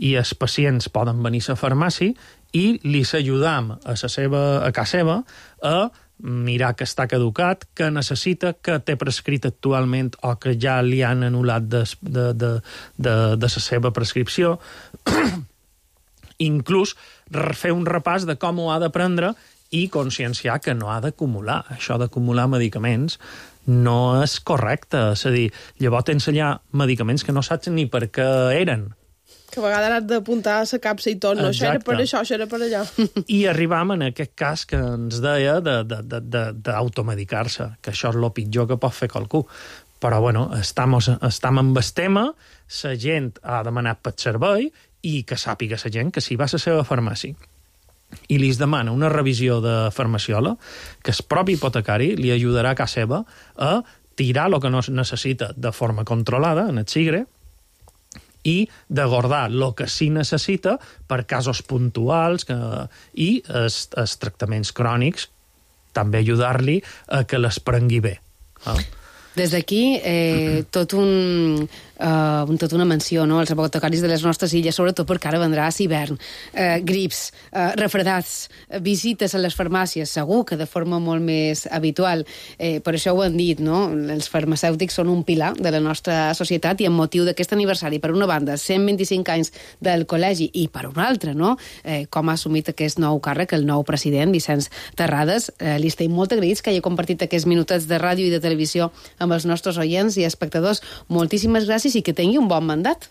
i els pacients poden venir a la farmàcia i li ajudam a, la seva, a casa seva a mirar que està caducat, que necessita, que té prescrit actualment o que ja li han anul·lat de, de, de, de, de la seva prescripció. Inclús fer un repàs de com ho ha de prendre i conscienciar que no ha d'acumular. Això d'acumular medicaments no és correcte. És a dir, llavors t'ensenyar medicaments que no saps ni per què eren. Que a vegades has d'apuntar a la capsa i tot. No, això era per això, això era per allò. I arribam en aquest cas que ens deia d'automedicar-se, que això és el pitjor que pot fer qualcú. Però, bueno, estem, estem amb el tema, la gent ha demanat per servei i que sàpiga la gent que si va a la seva farmàcia i li es demana una revisió de farmaciola, que el propi hipotecari li ajudarà a casa seva a tirar el que no necessita de forma controlada en el sigre i de guardar el que sí necessita per casos puntuals que, i els, els tractaments crònics també ajudar-li a que les prengui bé. Ah. Des d'aquí, eh, tot un, uh, tot una menció, no?, als apotecaris de les nostres illes, sobretot perquè ara vendrà l'hivern. Eh, grips, eh, refredats, visites a les farmàcies, segur que de forma molt més habitual. Eh, per això ho han dit, no?, els farmacèutics són un pilar de la nostra societat i amb motiu d'aquest aniversari, per una banda, cent vint-i-cinc anys del col·legi i per una altra, no?, eh, com ha assumit aquest nou càrrec, el nou president, Vicenç Terrades. Eh, li estem molt agraïts que hagi compartit aquests minutets de ràdio i de televisió amb els nostres oients i espectadors. Moltíssimes gràcies i que tingui un bon mandat.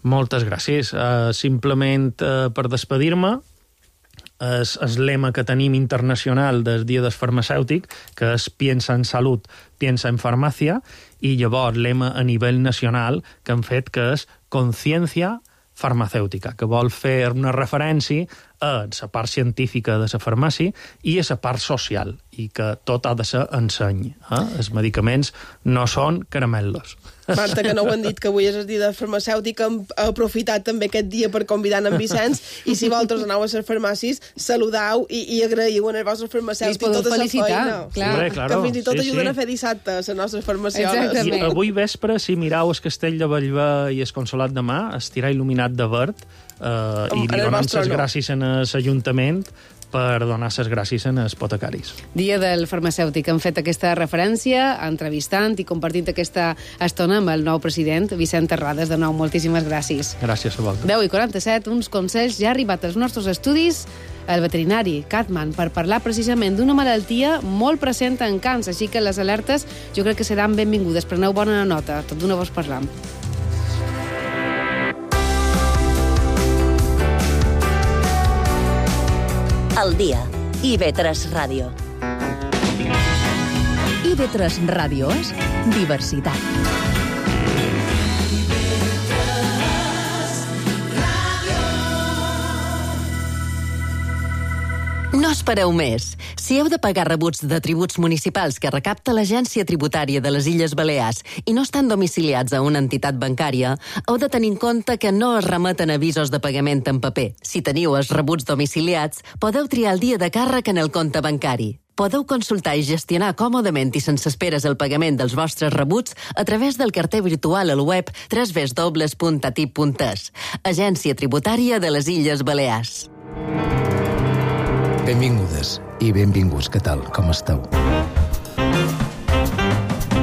Moltes gràcies. Uh, simplement uh, per despedir-me, és el lema que tenim internacional del Dia del Farmacèutic, que és piensa en salut, piensa en farmàcia, i llavors lema a nivell nacional que hem fet, que és conciencia farmacèutica, que vol fer una referència a la part científica de la farmàcia i a la part social, i que tot ha de ser enseny. Eh? Els medicaments no són caramelos. Marta, que no ho han dit, que avui és el dia de farmacèutic, hem aprofitat també aquest dia per convidar en Vicenç, i si vosaltres aneu a les farmàcies, saludau i, i agraïu en els vostres farmacèutics tota la feina. Clar. Hombre, claro. Que fins i tot sí, ajuden sí. a fer dissabte les nostres farmacioles. Exactament. I avui vespre, si mirau el castell de Bellver i el Consolat de Mar, estirà il·luminat de verd, eh, i li donem les gràcies en l'Ajuntament per donar les gràcies als apotecaris. Dia del farmacèutic. Hem fet aquesta referència, entrevistant i compartint aquesta estona amb el nou president, Vicent Terrades. De nou, moltíssimes gràcies. Gràcies a vosaltres. deu i quaranta-set, uns consells ja ha arribat als nostres estudis el veterinari Catman per parlar precisament d'una malaltia molt present en cans, així que les alertes jo crec que seran benvingudes. Preneu bona nota, tot d'una vos parlam. El dia. I ve tres Ràdio. I ve tres Ràdio és diversitat. No espereu més. Si heu de pagar rebuts de tributs municipals que recapta l'Agència Tributària de les Illes Balears i no estan domiciliats a una entitat bancària, heu de tenir en compte que no es remeten avisos de pagament en paper. Si teniu els rebuts domiciliats, podeu triar el dia de càrrec en el compte bancari. Podeu consultar i gestionar còmodament i sense esperes el pagament dels vostres rebuts a través del carter virtual al web w w w punt a t i p punt e s. Agència Tributària de les Illes Balears. Benvingudes i benvinguts, què tal, com esteu?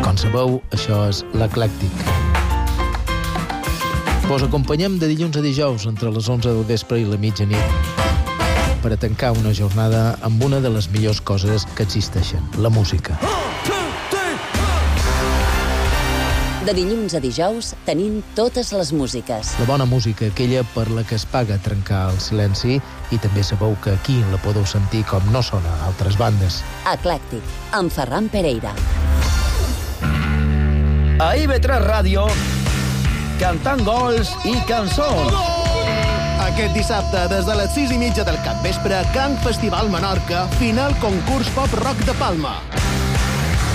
Com sabeu, això és l'Eclèctic. Vos acompanyem de dilluns a dijous entre les onze del vespre i la mitjanit per a tancar una jornada amb una de les millors coses que existeixen, la música. De dilluns a dijous tenim totes les músiques. La bona música, aquella per la que es paga trencar el silenci, i també sabeu que aquí la podeu sentir com no sona a altres bandes. Eclèctic, amb Ferran Pereira. A I V tres Ràdio, cantant gols i cançons. Aquest dissabte, des de les sis i mitja del capvespre, Can Festival Menorca, final concurs pop-rock de Palma.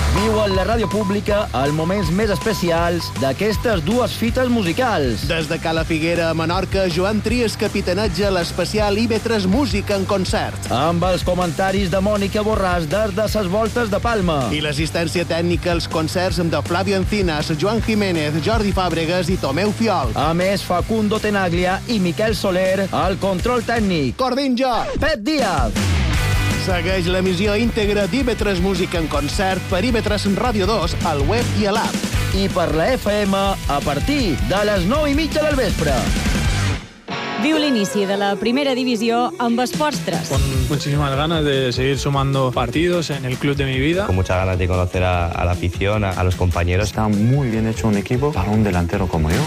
Viu en la ràdio pública els moments més especials d'aquestes dues fites musicals. Des de Cala Figuera a Menorca, Joan Trias capitaneja l'especial I V tres Música en concert. Amb els comentaris de Mònica Borràs des de ses voltes de Palma. I l'assistència tècnica als concerts amb de Flavio Encinas, Joan Jiménez, Jordi Fàbregas i Tomeu Fiol. A més, Facundo Tenaglia i Miquel Soler al control tècnic. Cordinjo! Pep Díaz! Segueix l'emissió íntegra d'I V tres Música en concert per I V tres Ràdio dos al web i a l'app. I per la F M a partir de les nou i mitja del vespre. Viu l'inici de la primera divisió amb Esports tres. Con muchísimas ganas de seguir sumando partidos en el club de mi vida. Con muchas ganas de conocer a, a la afición, a, a los compañeros. Está muy bien hecho un equipo para un delantero como yo.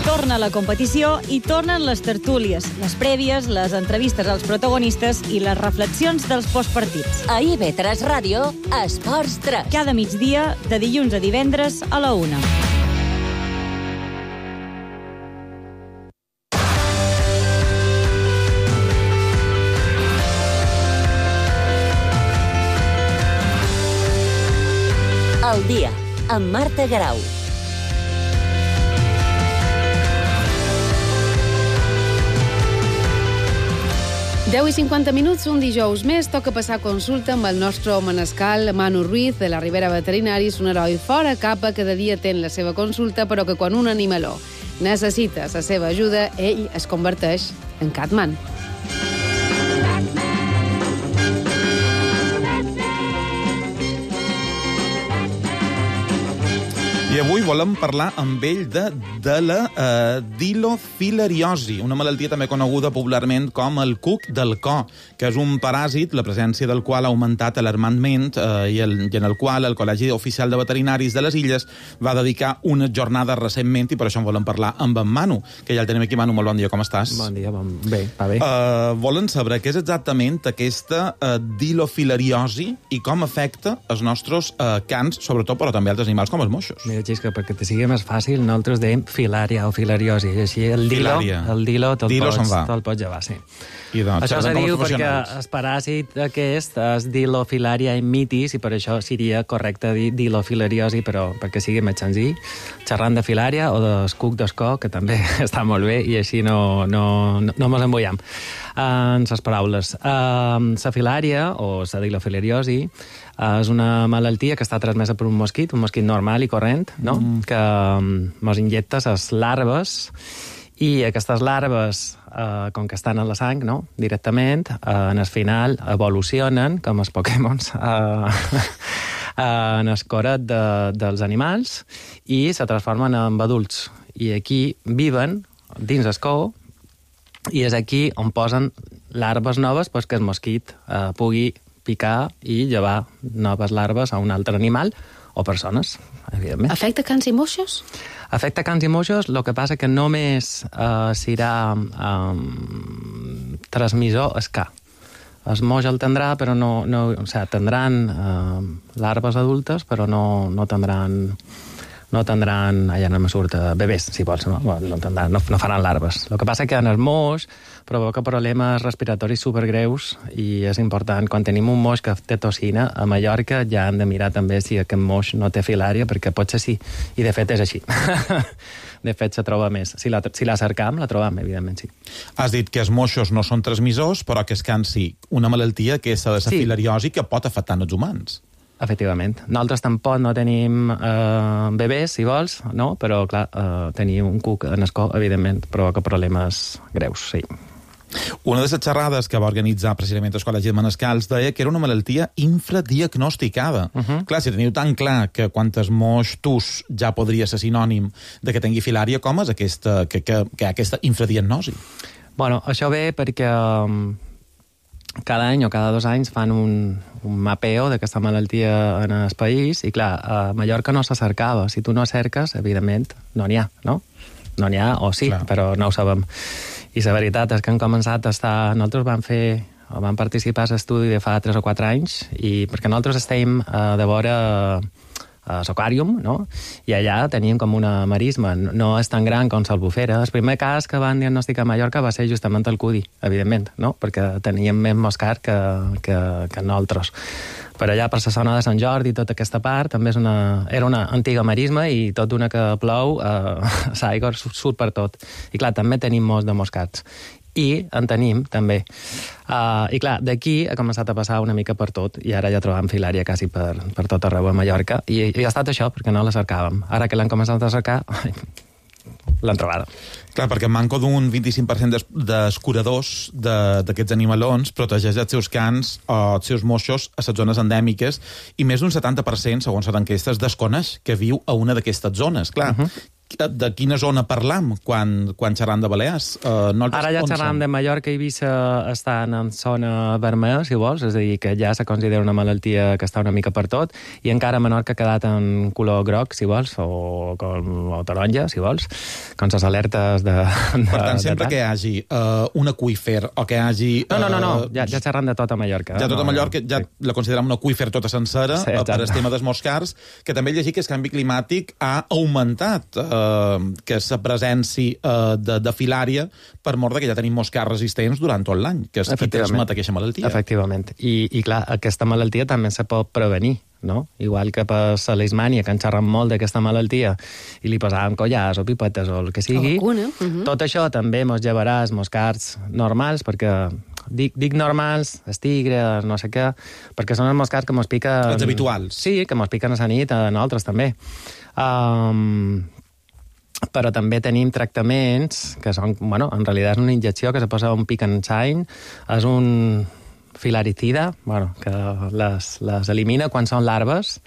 Torna la competició i tornen les tertúlies, les prèvies, les entrevistes als protagonistes i les reflexions dels postpartits. A I V tres Ràdio, Esports tres. Cada migdia, de dilluns a divendres a la una. El dia, amb Marta Garau. deu i cinquanta minuts, un dijous més, toca passar consulta amb el nostre manescal Manu Ruiz, de la Ribera Veterinaris, un heroi fora capa, cada dia ten la seva consulta, però que quan un animaló necessita la seva ajuda, ell es converteix en Catman. I avui volem parlar amb ell de, de la eh, dilofilariosi, una malaltia també coneguda popularment com el cuc del cor, que és un paràsit, la presència del qual ha augmentat alarmantment eh, i, el, i en el qual el Col·legi Oficial de Veterinaris de les Illes va dedicar una jornada recentment, i per això en volem parlar amb en Manu, que ja el tenim aquí. Manu, molt bon dia, com estàs? Bon dia, bon... bé, va bé. Uh, volen saber què és exactament aquesta uh, dilofilariosi i com afecta els nostres uh, cans, sobretot, però també altres animals com els moixos. Mira, Xisca, perquè te sigui més fàcil, nosaltres dèiem filària o filariosi, així el dilo, Filària. el dilo te'l Dilo pots, se'n va. te pots llevar, sí. I doncs, això se diu perquè professionals. el paràsit aquest és Dilofilaria immitis i per això seria correcte dir dilofilariosi, però perquè sigui més senzill. Xerrant de filària o d'escuc d'escó, que també està molt bé i així no, no, no, no mos embullam en les paraules. La filària o la dilofilariosi és una malaltia que està transmesa per un mosquit, un mosquit normal i corrent, no? Mm. que mos injecta les larves i aquestes larves, eh, com que estan a la sang, no? directament, eh, en el final evolucionen, com els Pokémons, eh, en el coret de, dels animals i se transformen en adults. I aquí viven dins el cou i és aquí on posen larves noves perquè el mosquit eh, pugui picar i llevar noves larves a un altre animal o persones, evidentment. Afecta cans i moixos? Afecta cans i moixos, el que passa que només eh, serà eh, transmissor es ca. El moix el tindrà, però no... no o sigui, tindran eh, larves adultes, però no, no tindran... no tindran, allà no me surt, bebès, si vols, no? No, tindran, no, no faran larves. El que passa que en el moix provoca problemes respiratoris supergreus i és important, quan tenim un moix que té toxina, a Mallorca ja hem de mirar també si aquest moix no té filària, perquè potser sí, i de fet és així. De fet, se troba més. Si la, si la cercam, la trobam, evidentment, sí. Has dit que els moixos no són transmissors, però que es can sí. Una malaltia que és la Sí. filariosi que pot afectar els humans. Efectivament. Nosaltres tampoc no tenim eh, bebès, si vols, no? Però, clar, eh, tenir un cuc en escó, evidentment, provoca problemes greus, sí. Una de les xerrades que va organitzar precisament el Col·legi de Manescals deia que era una malaltia infradiagnosticada. Uh -huh. Clar, si teniu tan clar que quantes moix tus ja podria ser sinònim de que tingui filària, com és aquesta, que, que, que hi ha aquesta infradiagnosi? Bueno, això ve perquè um, cada any o cada dos anys fan un, un mapeo d'aquesta malaltia en el país i, clar, a Mallorca no se cercava. Si tu no cerques, evidentment, no n'hi ha, no? No n'hi ha, o sí, clar, però no ho sabem. I la veritat és que han començat a estar... Nosaltres vam fer, o vam participar a l'estudi de fa tres o quatre anys, i perquè nosaltres estem eh, de vora a l'Aquàrium, no? I allà teníem com una marisma. No és tan gran com l'Albufera. El primer cas que van diagnosticar a Mallorca va ser justament el Cudi, evidentment, no? Perquè teníem més moscar que, que, que nosaltres. Per allà, per la zona de Sant Jordi i tota aquesta part, també és una, era una antiga marisma i tot d'una que plou, eh, l'aigua surt per tot. I clar, també tenim molts de moscats. I en tenim, també. Uh, I clar, d'aquí ha començat a passar una mica per tot, i ara ja trobam filària quasi per, per tot arreu a Mallorca, i, i ha estat això, perquè no la cercàvem. Ara que l'han començat a cercar, l'han trobada. Clar, perquè manco d'un vint-i-cinc per cent d'escuradors d'aquests animalons protegeix els seus cans o els seus moixos a les zones endèmiques, i més d'un setanta per cent, segons les enquestes, desconeix que viu a una d'aquestes zones. Clar, uh -huh. De quina zona parlam quan, quan xerram de Balears? Uh, no Ara ja xerram de Mallorca i Eivissa estan en zona vermella, si vols, és a dir, que ja se considera una malaltia que està una mica per tot, i encara Menorca ha quedat en color groc, si vols, o, com, o taronja, si vols, com les alertes de... de per tant, de sempre tant. que hi hagi uh, un aqüífer o que hi hagi... No, no, no, no. Uh, ja, ja xerram de tota Mallorca. Ja tota no, Mallorca, ja sí. La considerem un aqüífer tota sencera, sí, per el tema dels moscars, que també he llegit que el canvi climàtic ha augmentat uh, que la presència uh, de, de filària per mort que ja tenim moscars resistents durant tot l'any, que és qui transmet aquesta malaltia. Efectivament. I, I, clar, aquesta malaltia també se pot prevenir, no? Igual que per la leishmània, que en xerram molt d'aquesta malaltia, i li posàvem collars o pipetes o el que sigui, o vacuna. Uh -huh. Tot això també mos llevarà els moscars normals, perquè... Dic, dic normals, els tigres, no sé què, perquè són els moscars que mos piquen... Els habituals. Sí, que mos piquen a la nit, a nosaltres també. Um, però també tenim tractaments que són, bueno, en realitat és una injecció que se posa un pic en sany, és un filaricida, bueno, que les, les elimina quan són larves,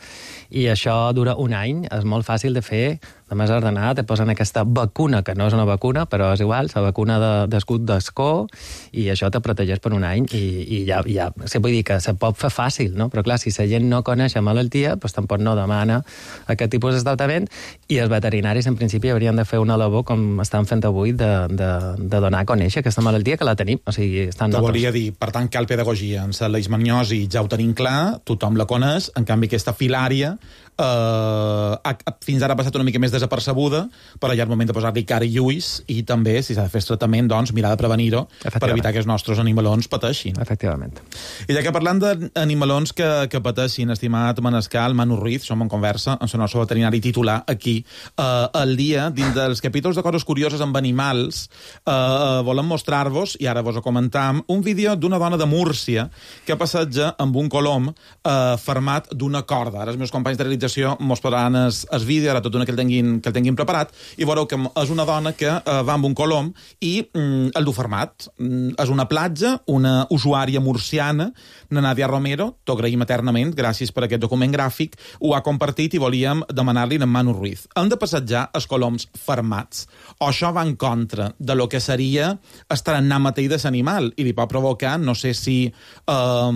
i això dura un any, és molt fàcil de fer, només ordenar, te posen aquesta vacuna, que no és una vacuna, però és igual, la vacuna d'escut de, d'escó, i això te protegeix per un any, i, i ja, ja, sí, vull dir que se pot fer fàcil, no? Però clar, si la gent no coneix la malaltia, doncs tampoc no demana aquest tipus de tractament, i els veterinaris, en principi, haurien de fer una labor, com estan fent avui, de, de, de donar a conèixer aquesta malaltia, que la tenim, o sigui, estan Te nosaltres. volia dir, per tant, cal pedagogia. En la leishmaniosi ja ho tenim clar, tothom la coneix, en canvi aquesta filària eh, ha, fins ara ha passat una mica més desapercebuda, però ja és moment de posar-li cara i ulls i també, si s'ha de fer tractament, doncs, mirar de prevenir-ho per evitar que els nostres animalons pateixin. Efectivament. I ja que parlant d'animalons que, que pateixin, estimat Manescal, Manu Ruiz, som en conversa amb el nostre veterinari titular aquí, eh, al dia, dins dels capítols de coses curioses amb animals, eh, volem mostrar-vos, i ara vos ho comentam, un vídeo d'una dona de Múrcia que passeja amb un colom eh, fermat d'una corda. Ara els meus companys de realització mos posaran el, el vídeo, ara tot una que el tinguin, que el tinguin preparat, i veureu que és una dona que eh, va amb un colom i mm, el du fermat. Mm, és una platja, una usuària murciana, na Nàdia Romero, t'ho agraïm eternament, gràcies per aquest document gràfic, ho ha compartit i volíem demanar-li a Manu Ruiz. Hem de passejar els coloms fermats. O això va en contra de lo que seria estar en mateix de l'animal i li pot provocar, no sé si eh,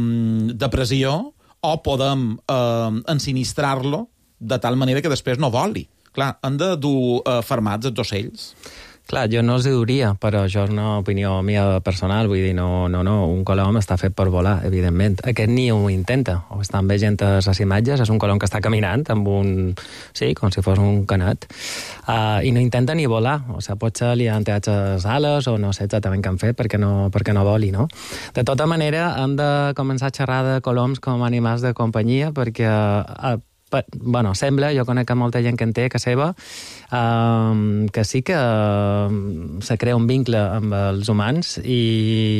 depressió, o podem eh, ensinistrar-lo de tal manera que després no voli. Clar, han de dur eh, fermats els ocells. Clar, jo no els hi duria, però això és una opinió mia personal, vull dir, no, no, no, un colom està fet per volar, evidentment. Aquest ni ho intenta, ho estan veient a les imatges, és un colom que està caminant amb un... sí, com si fos un canat, uh, i no intenta ni volar, o sigui, potser li han tallat les ales o no sé exactament què han fet perquè no, perquè no voli, no? De tota manera, hem de començar a xerrar de coloms com animals de companyia perquè... Uh, bueno, sembla, jo conec molta gent que en té, que seva, um, que sí que um, se crea un vincle amb els humans i,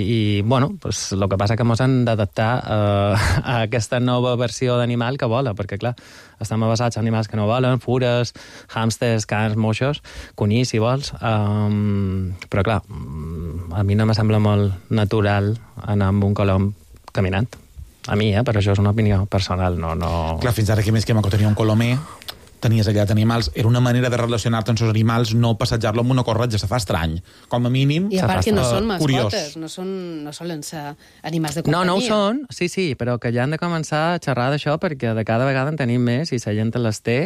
i bueno, pues, el que passa que ens hem d'adaptar uh, a aquesta nova versió d'animal que vola, perquè clar, estem basats en animals que no volen, fures, hàmsters, cans, moixos, conills, si vols, um, però clar, a mi no me sembla molt natural anar amb un colom caminant. A mi, eh? Però això és una opinió personal, no... no... Clar, fins ara que més que que tenia un colomer, tenies allà d'animals, era una manera de relacionar-te amb els animals, no passejar-lo amb una corretja, se fa estrany. Com a mínim, I a part que no uh, són curiós. mascotes, no, són, no solen ser animals de companyia. No, no ho són, sí, sí, però que ja han de començar a xerrar d'això perquè de cada vegada en tenim més i la gent les té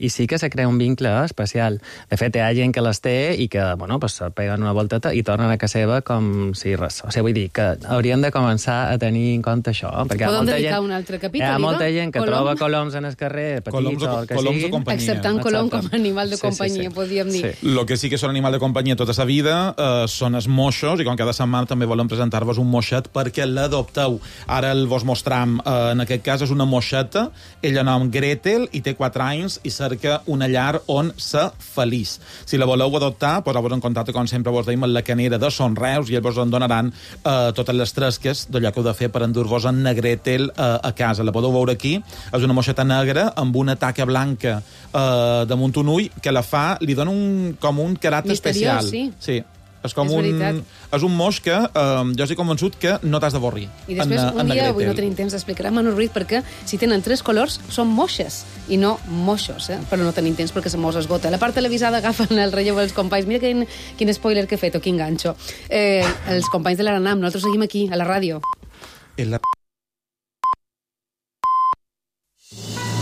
i sí que se crea un vincle especial. De fet, hi ha gent que les té i que, bueno, pues, se peguen una volteta i tornen a casa seva com si res. O sigui, vull dir que hauríem de començar a tenir en compte això. Perquè Podem dedicar gent, un altre capítol, hi ha molta Iva? gent que Colom? troba coloms en el carrer, petits Coloms o- o el que coloms sigui. de companyia. Acceptant colom com a animal de Sí, sí, companyia, sí. podríem dir. Sí. Lo que sí que són animal de companyia tota sa vida eh, són els moixos, i com cada setmana també volem presentar-vos un moixet perquè l'adopteu. Ara el vos mostram, eh, en aquest cas és una moixeta, ella nom Gretel, i té quatre anys i cerca una llar on ser feliç. Si la voleu adoptar, poseu-vos en contacte, com sempre vos deim, amb la canera de Son Reus i ells vos en donaran eh, totes les tresques d'allò que heu de fer per endur-vos en na Gretel eh, a casa. La podeu veure aquí, és una moixeta negra amb una taca blanca eh, damunt un ull que la fa, li dona un, com un caràcter Misteriós, especial. sí. Sí. És com És un... veritat. És un moix que eh, jo estic convençut que no t'has d'avorrir. I després, en, un en dia, Gretel. avui no tenim temps d'explicar a Manu Ruiz perquè si tenen tres colors són moixes i no moixos, eh? Però no tenim temps perquè se mos esgota. La part televisada agafen el relleu dels companys. Mira quin, quin spoiler que he fet o quin ganxo. Eh, els companys de l'Aranam, nosaltres seguim aquí, a la ràdio. En la...